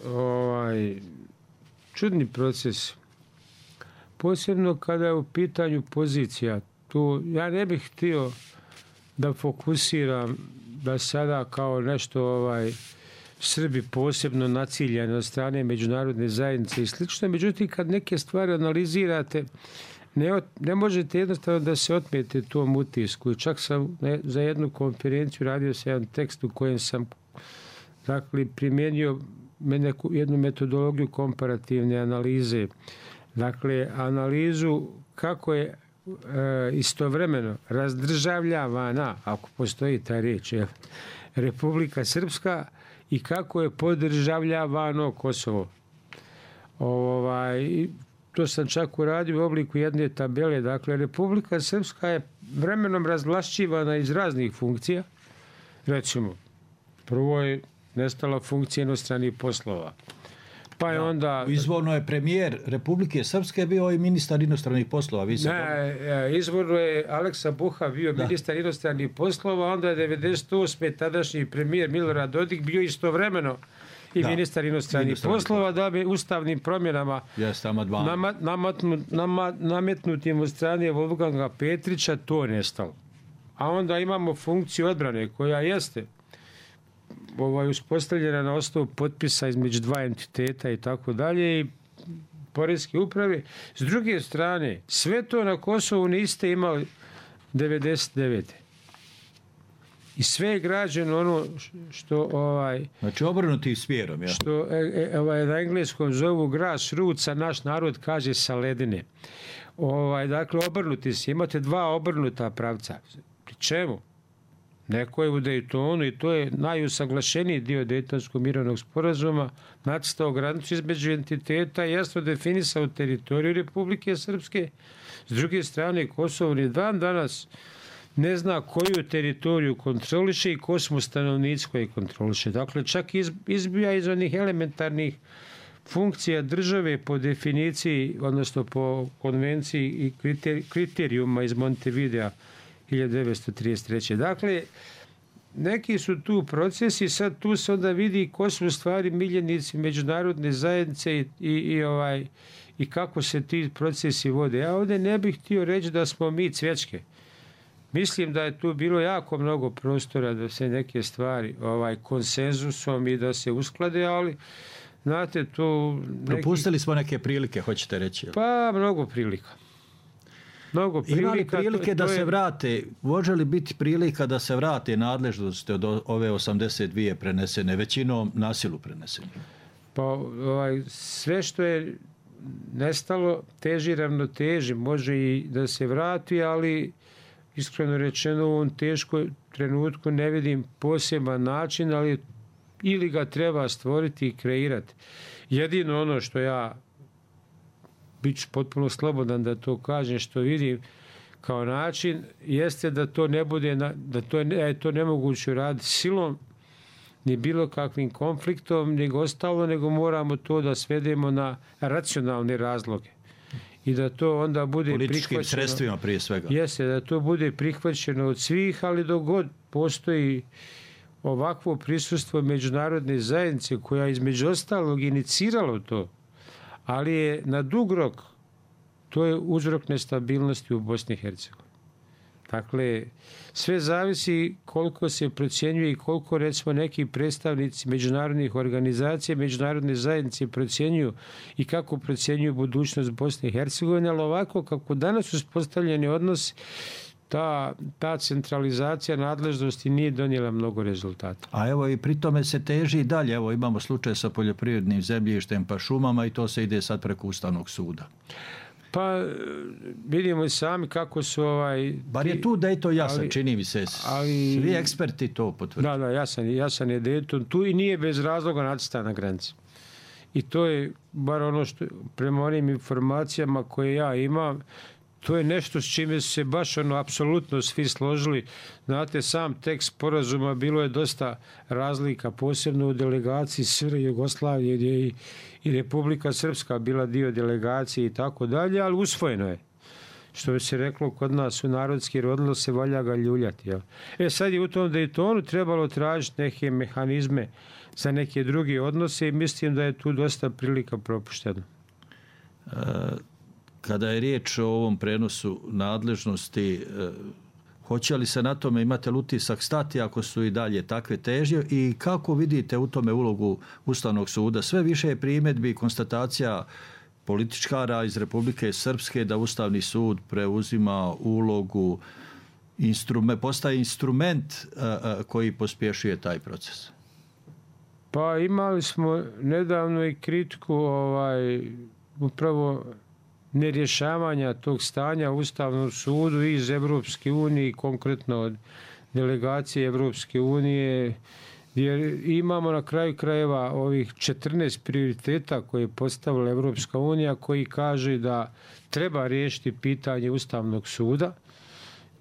S12: ovaj, čudni proces. Posebno kada je u pitanju pozicija. Tu ja ne bih htio da fokusiram da sada kao nešto ovaj, Srbi posebno naciljani od strane međunarodne zajednice i slično. Međutim, kad neke stvari analizirate, ne, ne možete jednostavno da se otmete tom utisku. I čak sam ne, za jednu konferenciju radio sam jedan tekst u kojem sam dakle, primijenio neku, jednu metodologiju komparativne analize. Dakle, analizu kako je e, istovremeno razdržavljavana, ako postoji ta riječ, je, Republika Srpska i kako je podržavljavano Kosovo. Ovaj, to sam čak uradio u obliku jedne tabele. Dakle, Republika Srpska je vremenom razvlašćivana iz raznih funkcija. Recimo, prvo je nestala funkcija inostranih poslova. Pa je onda...
S11: Izvorno je premijer Republike Srpske bio i ministar inostranih poslova. Vi se
S12: ne, izvorno je Aleksa Buha bio da. ministar inostranih poslova, onda je devedeset osme tadašnji premijer Milorad Dodik bio istovremeno i da. ministar inostranih ministar poslova, da bi ustavnim promjenama nama, namatnut, nama, nametnutim od strane Wolfganga Petrića to nestalo. A onda imamo funkciju odbrane koja jeste ovaj, uspostavljena na osnovu potpisa između dva entiteta i tako dalje i poreske uprave. S druge strane, sve to na Kosovu niste imali devedeset devete I sve je građeno ono što ovaj
S11: znači obrnuti smjerom, ja.
S12: Što e, e, ovaj na engleskom zovu grassroots, a naš narod kaže sa ledine. Ovaj dakle obrnuti se, imate dva obrnuta pravca. Pri čemu? Neko je u Daytonu i to je najusaglašeniji dio Daytonskog mirovnog sporazuma, nacrtao granicu između entiteta i jasno definisao teritoriju Republike Srpske. S druge strane, Kosovo ni dan danas ne zna koju teritoriju kontroliše i ko smo stanovnici koji kontroliše. Dakle, čak izbija iz onih elementarnih funkcija države po definiciji, odnosno po konvenciji i kriterijuma iz Montevidea hiljadu devetsto trideset treće. Dakle, neki su tu procesi, sad tu se onda vidi ko su u stvari miljenici međunarodne zajednice i, i, i, ovaj, i kako se ti procesi vode. Ja ovdje ne bih htio reći da smo mi cvječke. Mislim da je tu bilo jako mnogo prostora da se neke stvari ovaj, konsenzusom i da se usklade, ali znate tu... Neki...
S11: Propustili smo neke prilike, hoćete reći?
S12: Pa, mnogo prilika. Mnogo prilika.
S11: Ima li prilike
S12: to,
S11: da
S12: to je...
S11: se vrate, može li biti prilika da se vrate nadležnosti od ove osamdeset dvije prenesene, većinom nasilu prenesene?
S12: Pa ovaj, sve što je nestalo teži ravnoteži, može i da se vrati, ali iskreno rečeno u ovom teškom trenutku ne vidim poseban način, ali ili ga treba stvoriti i kreirati. Jedino ono što ja bit ću potpuno slobodan da to kažem, što vidim kao način, jeste da to ne bude, da to je to nemoguće raditi silom, ni bilo kakvim konfliktom, nego ostalo, nego moramo to da svedemo na racionalne razloge. I da to onda bude
S11: političkim
S12: prihvaćeno...
S11: sredstvima prije svega.
S12: Jeste, da to bude prihvaćeno od svih, ali dok god postoji ovakvo prisustvo međunarodne zajednice koja između ostalog iniciralo to, ali je na dug rok, to je uzrok nestabilnosti u Bosni i Hercegovini. Dakle, sve zavisi koliko se procjenjuje i koliko, recimo, neki predstavnici međunarodnih organizacija, međunarodne zajednice procjenjuju i kako procjenjuju budućnost Bosne i Hercegovine, ali ovako kako danas uspostavljeni odnosi, ta, ta centralizacija nadležnosti nije donijela mnogo rezultata.
S11: A evo i pri tome se teži i dalje. Evo imamo slučaj sa poljoprivrednim zemljištem pa šumama i to se ide sad preko Ustavnog suda.
S12: Pa vidimo i sami kako su ovaj...
S11: Bar je tu da je to jasan, ali, čini mi se. Ali, svi eksperti to potvrđuju.
S12: Da, da, jasan, jasan je da je to tu i nije bez razloga nacrtana granica. I to je bar ono što, prema onim informacijama koje ja imam, to je nešto s čime su se baš ono apsolutno svi složili. Znate, sam tekst sporazuma bilo je dosta razlika, posebno u delegaciji S R Jugoslavije gdje je i, i Republika Srpska bila dio delegacije i tako dalje, ali usvojeno je. Što bi se reklo kod nas u narodski rodilo se valja ga ljuljati. Jel? E sad je u tom Daytonu trebalo tražiti neke mehanizme za neke druge odnose i mislim da je tu dosta prilika propušteno.
S11: E... Kada je riječ o ovom prenosu nadležnosti, eh, hoće li se na tome, imate li utisak, stati ako su i dalje takve težnje i kako vidite u tome ulogu Ustavnog suda? Sve više je primjedbi i konstatacija političkara iz Republike Srpske da Ustavni sud preuzima ulogu, instrument, postaje instrument eh, koji pospješuje taj proces.
S12: Pa imali smo nedavno i kritiku ovaj, upravo nerješavanja tog stanja u Ustavnom sudu iz Evropske unije, konkretno od delegacije Evropske unije, jer imamo na kraju krajeva ovih četrnaest prioriteta koje je postavila Evropska unija, koji kaže da treba riješiti pitanje Ustavnog suda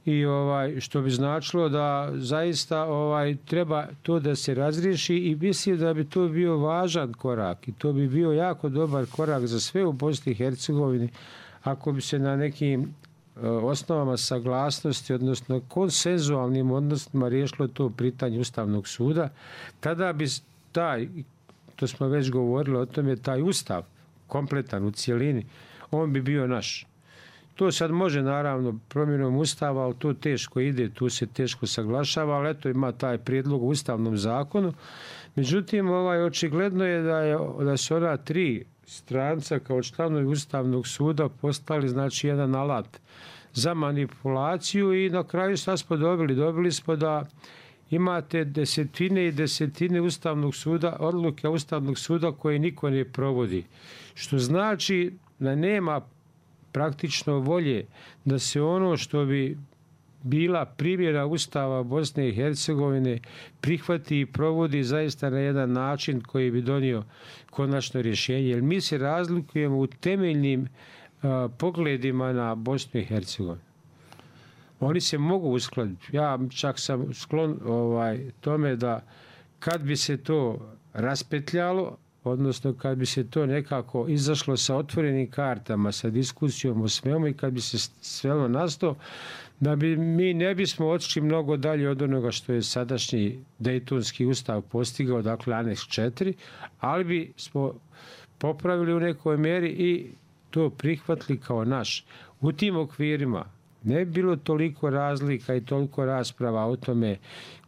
S12: i ovaj što bi značilo da zaista ovaj treba to da se razriješi i mislim da bi to bio važan korak i to bi bio jako dobar korak za sve u Bosni i Hercegovini ako bi se na nekim uh, osnovama saglasnosti, odnosno konsenzualnim odnosima riješilo to pitanje Ustavnog suda, tada bi taj, to smo već govorili o tome, taj Ustav kompletan u cijelini, on bi bio naš. To sad može naravno promjenom Ustava, ali to teško ide, tu se teško saglašava, ali eto ima taj prijedlog u Ustavnom zakonu. Međutim, ovaj, očigledno je da, je da su ona tri stranca kao članovi Ustavnog suda postali znači jedan alat za manipulaciju i na kraju šta smo dobili? Dobili smo da imate desetine i desetine Ustavnog suda, odluke Ustavnog suda koje niko ne provodi. Što znači da nema praktično volje da se ono što bi bila primjera Ustava Bosne i Hercegovine prihvati i provodi zaista na jedan način koji bi donio konačno rješenje. Jer mi se razlikujemo u temeljnim a, pogledima na Bosnu i Hercegovinu. Oni se mogu uskladiti. Ja čak sam sklon ovaj, tome da kad bi se to raspetljalo, odnosno kad bi se to nekako izašlo sa otvorenim kartama, sa diskusijom o svemu i kad bi se svelo na sto, da bi mi ne bismo otišli mnogo dalje od onoga što je sadašnji Dejtonski ustav postigao, dakle aneks četiri, ali bi smo popravili u nekoj mjeri i to prihvatili kao naš. U tim okvirima ne bi bilo toliko razlika i toliko rasprava o tome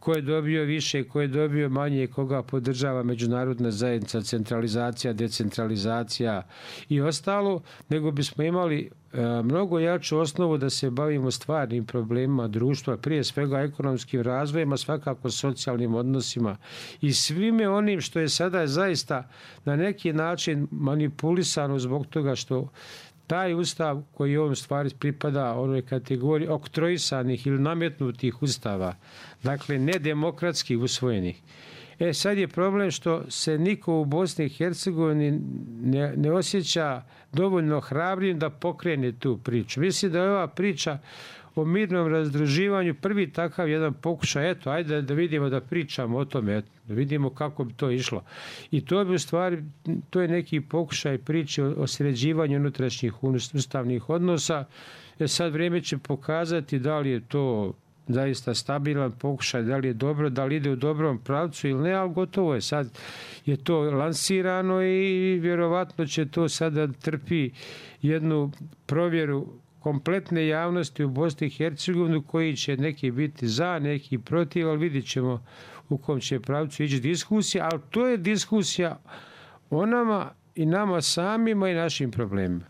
S12: ko je dobio više, ko je dobio manje, koga podržava međunarodna zajednica, centralizacija, decentralizacija i ostalo, nego bismo imali e, mnogo jaču osnovu da se bavimo stvarnim problemima društva, prije svega ekonomskim razvojem, a svakako socijalnim odnosima i svime onim što je sada zaista na neki način manipulisano zbog toga što taj ustav koji ovom stvari pripada onoj kategoriji oktroisanih ili nametnutih ustava, dakle nedemokratski usvojenih. E sad je problem što se niko u Bosni i Hercegovini ne, ne osjeća dovoljno hrabrim da pokrene tu priču. Mislim da je ova priča o mirnom razdruživanju prvi takav jedan pokušaj, eto, ajde da vidimo da pričamo o tome, eto, da vidimo kako bi to išlo. I to bi u stvari, to je neki pokušaj priče o, o sređivanju unutrašnjih ustavnih odnosa. E sad vrijeme će pokazati da li je to zaista stabilan pokušaj, da li je dobro, da li ide u dobrom pravcu ili ne, ali gotovo je. Sad je to lansirano i vjerovatno će to sada trpi jednu provjeru kompletne javnosti u Bosni i Hercegovini koji će neki biti za, neki protiv, ali vidjet ćemo u kom će pravcu ići diskusija, ali to je diskusija o nama i nama samima i našim problemima.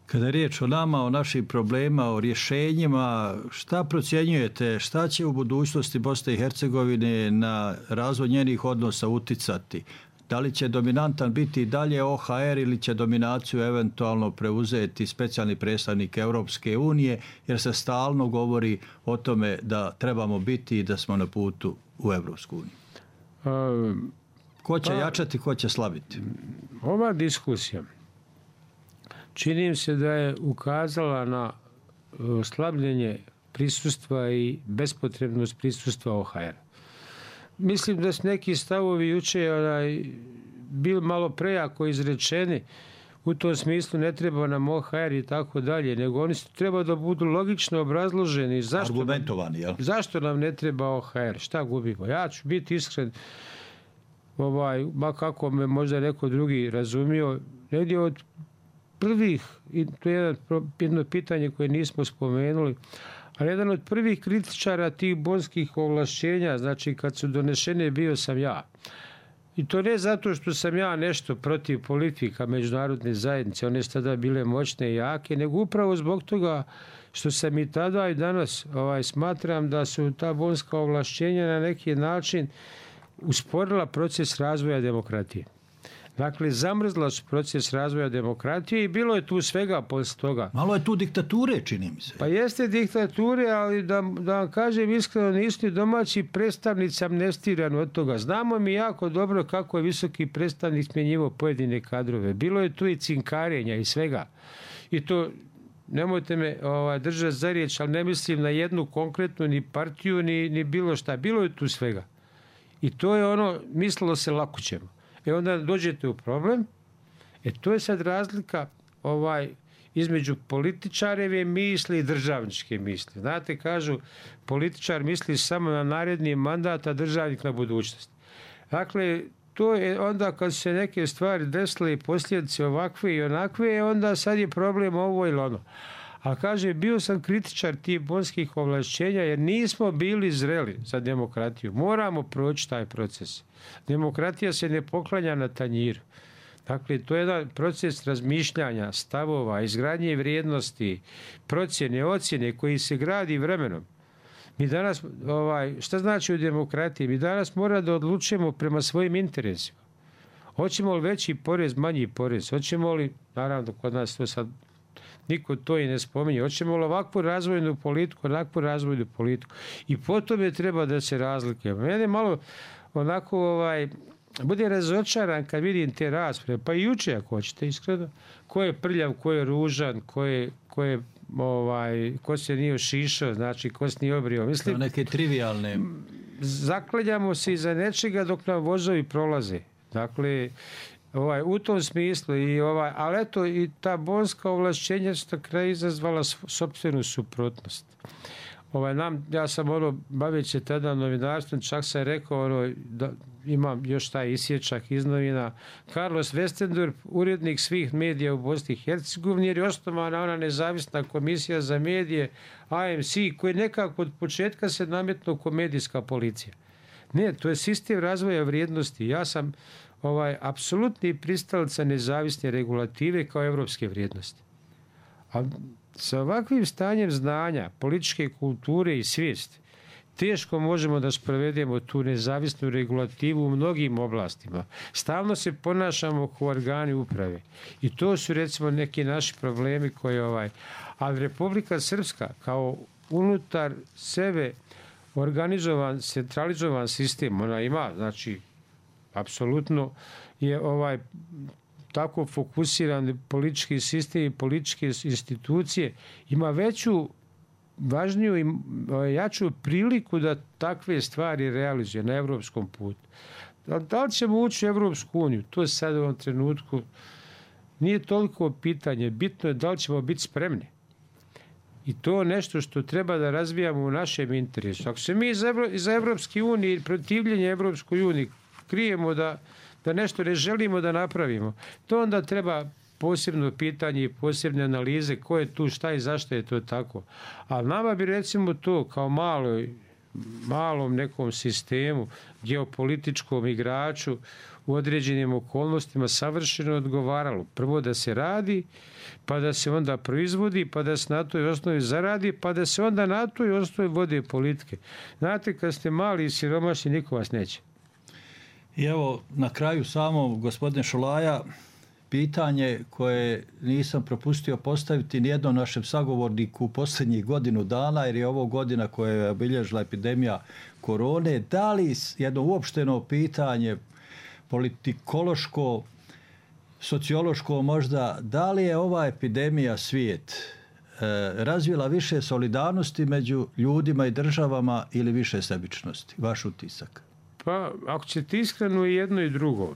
S11: Kada je riječ o nama, o našim problemima, o rješenjima, šta procjenjujete, šta će u budućnosti Bosne i Hercegovine na razvoj njenih odnosa uticati? Da li će dominantan biti dalje O H R ili će dominaciju eventualno preuzeti specijalni predstavnik Europske unije, jer se stalno govori o tome da trebamo biti i da smo na putu u Europsku uniju? Um, ko će pa, jačati, ko će slabiti?
S12: Ova diskusija čini mi se da je ukazala na slabljenje prisustva i bespotrebnost prisustva O H R. Mislim da su neki stavovi juče onaj, bili malo prejako izrečeni, u tom smislu ne treba nam O H R i tako dalje, nego oni treba da budu logično obrazloženi. Zašto
S11: argumentovani, jel?
S12: Zašto nam ne treba O H R? Šta gubimo? Ja ću biti iskren, ovaj, ma kako me možda neko drugi razumio, negdje od prvih, i to je jedno, jedno pitanje koje nismo spomenuli, ali jedan od prvih kritičara tih bonskih ovlašćenja, znači kad su donešene, bio sam ja. I to ne zato što sam ja nešto protiv politika međunarodne zajednice, one su tada bile moćne i jake, nego upravo zbog toga što sam i tada i danas ovaj, smatram da su ta bonska ovlašćenja na neki način usporila proces razvoja demokratije. Dakle, zamrzla su proces razvoja demokratije i bilo je tu svega posle toga.
S11: Malo je tu diktature, čini mi se.
S12: Pa jeste diktature, ali da, da vam kažem iskreno, nisu ni domaći predstavnici amnestirani od toga. Znamo mi jako dobro kako je visoki predstavnik smjenjivao pojedine kadrove. Bilo je tu i cinkarenja i svega. I to, nemojte me ovaj, držati za riječ, ali ne mislim na jednu konkretnu ni partiju, ni, ni bilo šta. Bilo je tu svega. I to je ono, mislilo se lako ćemo. E onda dođete u problem, e to je sad razlika ovaj, između političareve misli i državničke misli. Znate, kažu, političar misli samo na naredni mandat, a državnik na budućnost. Dakle, to je onda kad se neke stvari desile i posljedice ovakve i onakve, onda sad je problem ovo ili ono. A kaže, bio sam kritičar tih bonskih ovlašćenja jer nismo bili zreli za demokratiju. Moramo proći taj proces. Demokratija se ne poklanja na tanjiru. Dakle, to je jedan proces razmišljanja, stavova, izgradnje vrijednosti, procjene, ocjene koji se gradi vremenom. Mi danas, ovaj, šta znači u demokratiji? Mi danas moramo da odlučujemo prema svojim interesima. Hoćemo li veći porez, manji porez? Hoćemo li, naravno, kod nas to sad niko to i ne spominje, hoćemo li ovakvu razvojnu politiku, onakvu razvojnu politiku. I po tome treba da se razlikuje. Mene malo onako, ovaj, bude razočaran kad vidim te rasprave, pa i juče ako hoćete, iskreno, ko je prljav, ko je ružan, ko je, ko je ovaj, ko se nije ošišao, znači ko se nije obrio. Mislim,
S11: neke trivialne.
S12: Zaklanjamo se iza nečega dok nam vozovi prolaze. Dakle, ovaj, u tom smislu, i ovaj, ali eto i ta bonska ovlašćenja su na kraju izazvala sopstvenu suprotnost. Ovaj, nam, ja sam ono, baveći se tada novinarstvom, čak sam rekao, ono, da imam još taj isječak iz novina, Carlos Westendorp, urednik svih medija u Bosni i Hercegovini, jer je osnovana ona nezavisna komisija za medije, A M C, koji nekako od početka se nametnuo kao medijska policija. Ne, to je sistem razvoja vrijednosti. Ja sam ovaj, apsolutni pristalica nezavisne regulative kao evropske vrijednosti. A sa ovakvim stanjem znanja, političke kulture i svijesti, teško možemo da sprovedemo tu nezavisnu regulativu u mnogim oblastima. Stalno se ponašamo kao organi uprave. I to su recimo neki naši problemi koji ovaj... Ali Republika Srpska kao unutar sebe organizovan, centralizovan sistem, ona ima, znači, apsolutno je ovaj tako fokusiran politički sistem i političke institucije, ima veću, važniju i jaču priliku da takve stvari realizuje na evropskom putu. Da li ćemo ući u Evropsku uniju? To sad u ovom trenutku nije toliko pitanje. Bitno je da li ćemo biti spremni. I to je nešto što treba da razvijamo u našem interesu. Ako se mi za Evropske unije i protivljenje Evropskoj uniji krijemo da, da nešto ne želimo da napravimo, to onda treba posebno pitanje i posebne analize ko je tu, šta i zašto je to tako. A nama bi recimo to kao malo, malom nekom sistemu, geopolitičkom igraču u određenim okolnostima savršeno odgovaralo. Prvo da se radi, pa da se onda proizvodi, pa da se na toj osnovi zaradi, pa da se onda na toj osnovi vode politike. Znate, kad ste mali i siromašni, niko vas neće.
S11: I evo, na kraju samo, gospodine Šolaja, pitanje koje nisam propustio postaviti nijednom našem sagovorniku u posljednjih godinu dana, jer je ovo godina koja je obilježila epidemija korone. Da li jedno uopšteno pitanje, politikološko, sociološko možda, da li je ova epidemija svijet e, razvila više solidarnosti među ljudima i državama ili više sebičnosti? Vaš utisak?
S12: Pa, ako ćete iskreno i jedno i drugo,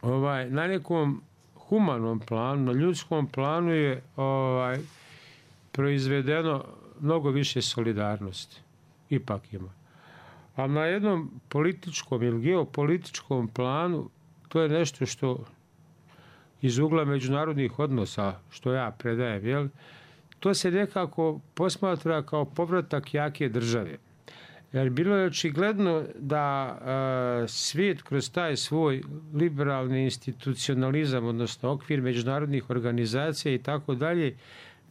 S12: ovaj, na nekom humanom planu, na ljudskom planu je ovaj, proizvedeno mnogo više solidarnosti. Ipak ima. A na jednom političkom ili geopolitičkom planu to je nešto što iz ugla međunarodnih odnosa, što ja predajem, jel? To se nekako posmatra kao povratak jake države. Jer bilo je očigledno da e, svijet kroz taj svoj liberalni institucionalizam, odnosno okvir međunarodnih organizacija i tako dalje,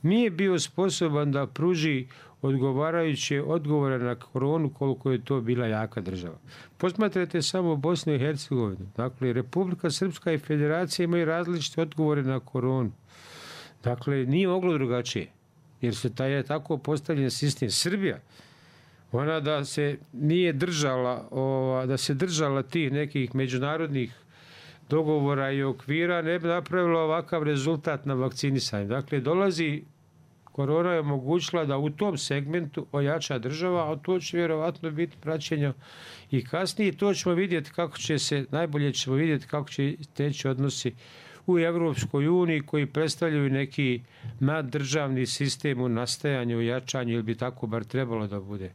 S12: nije bio sposoban da pruži odgovarajuće odgovore na koronu koliko je to bila jaka država. Posmatrajte samo Bosnu i Hercegovinu. Dakle, Republika Srpska i Federacija imaju različite odgovore na koronu. Dakle, nije moglo drugačije. Jer se taj je tako postavljen sistem. Srbija, ona da se nije držala, ova, da se držala tih nekih međunarodnih dogovora i okvira, ne bi napravila ovakav rezultat na vakcinisanju. Dakle, dolazi, korona je omogućila da u tom segmentu ojača država, a to će vjerovatno biti praćenje i kasnije. To ćemo vidjeti kako će se, najbolje ćemo vidjeti kako će teći odnosi u Evropskoj uniji koji predstavljaju neki naddržavni sistem u nastajanju, u jačanju, ili bi tako bar trebalo da bude.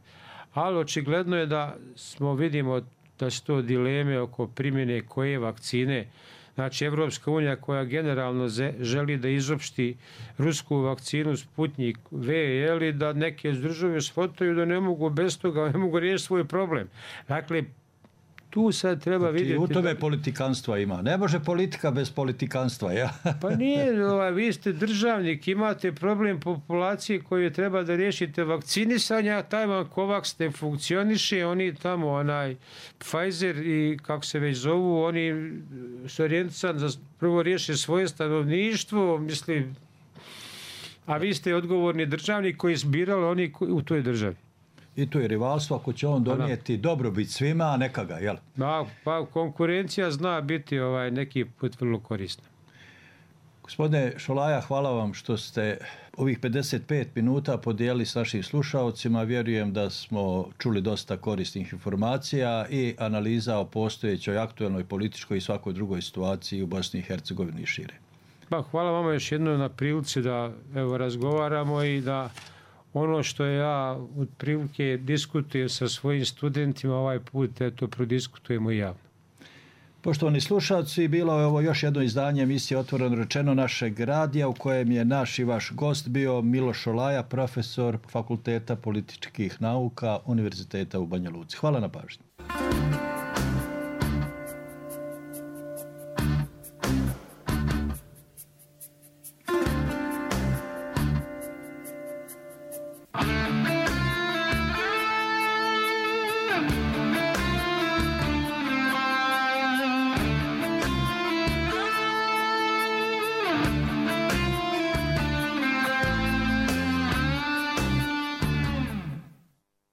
S12: Ali očigledno je da smo, vidimo da su to dileme oko primjene koje vakcine. Znači, Evropska unija koja generalno želi da izopšti rusku vakcinu Sputnik V, ili da neke države shvataju da ne mogu bez toga, ne mogu riješiti svoj problem. Dakle, tu sad treba
S11: znači,
S12: vidjeti...
S11: u tome da... politikanstva ima. Ne može politika bez politikanstva, ja?
S12: Pa nije, ovaj, vi ste državnik, imate problem populacije koju treba da riješite vakcinisanja, taj vam Covax ne funkcioniše, oni tamo, onaj Pfizer i kako se već zovu, oni su orijentisan da prvo riješe svoje stanovništvo, mislim, a vi ste odgovorni državnik koji zbirali oni u toj državi.
S11: I tu je rivalstvo, ako će on donijeti dobrobit svima, a neka ga, jel?
S12: Da, pa konkurencija zna biti ovaj neki put vrlo korisna.
S11: Gospodine Šolaja, hvala vam što ste ovih pedeset pet minuta podijelili s našim slušalcima. Vjerujem da smo čuli dosta korisnih informacija i analiza o postojećoj aktuelnoj političkoj i svakoj drugoj situaciji u Bosni i Hercegovini i šire.
S12: Pa, hvala vama još jednom na prilici da evo, razgovaramo i da ono što ja od prilike diskutujem sa svojim studentima ovaj put, eto, prodiskutujemo javno.
S11: Poštovani slušalci, bilo je ovo još jedno izdanje emisije Otvoreno rečeno našeg radija u kojem je naš i vaš gost bio Miloš Šolaja, profesor Fakulteta političkih nauka Univerziteta u Banja Luci. Hvala na pažnji.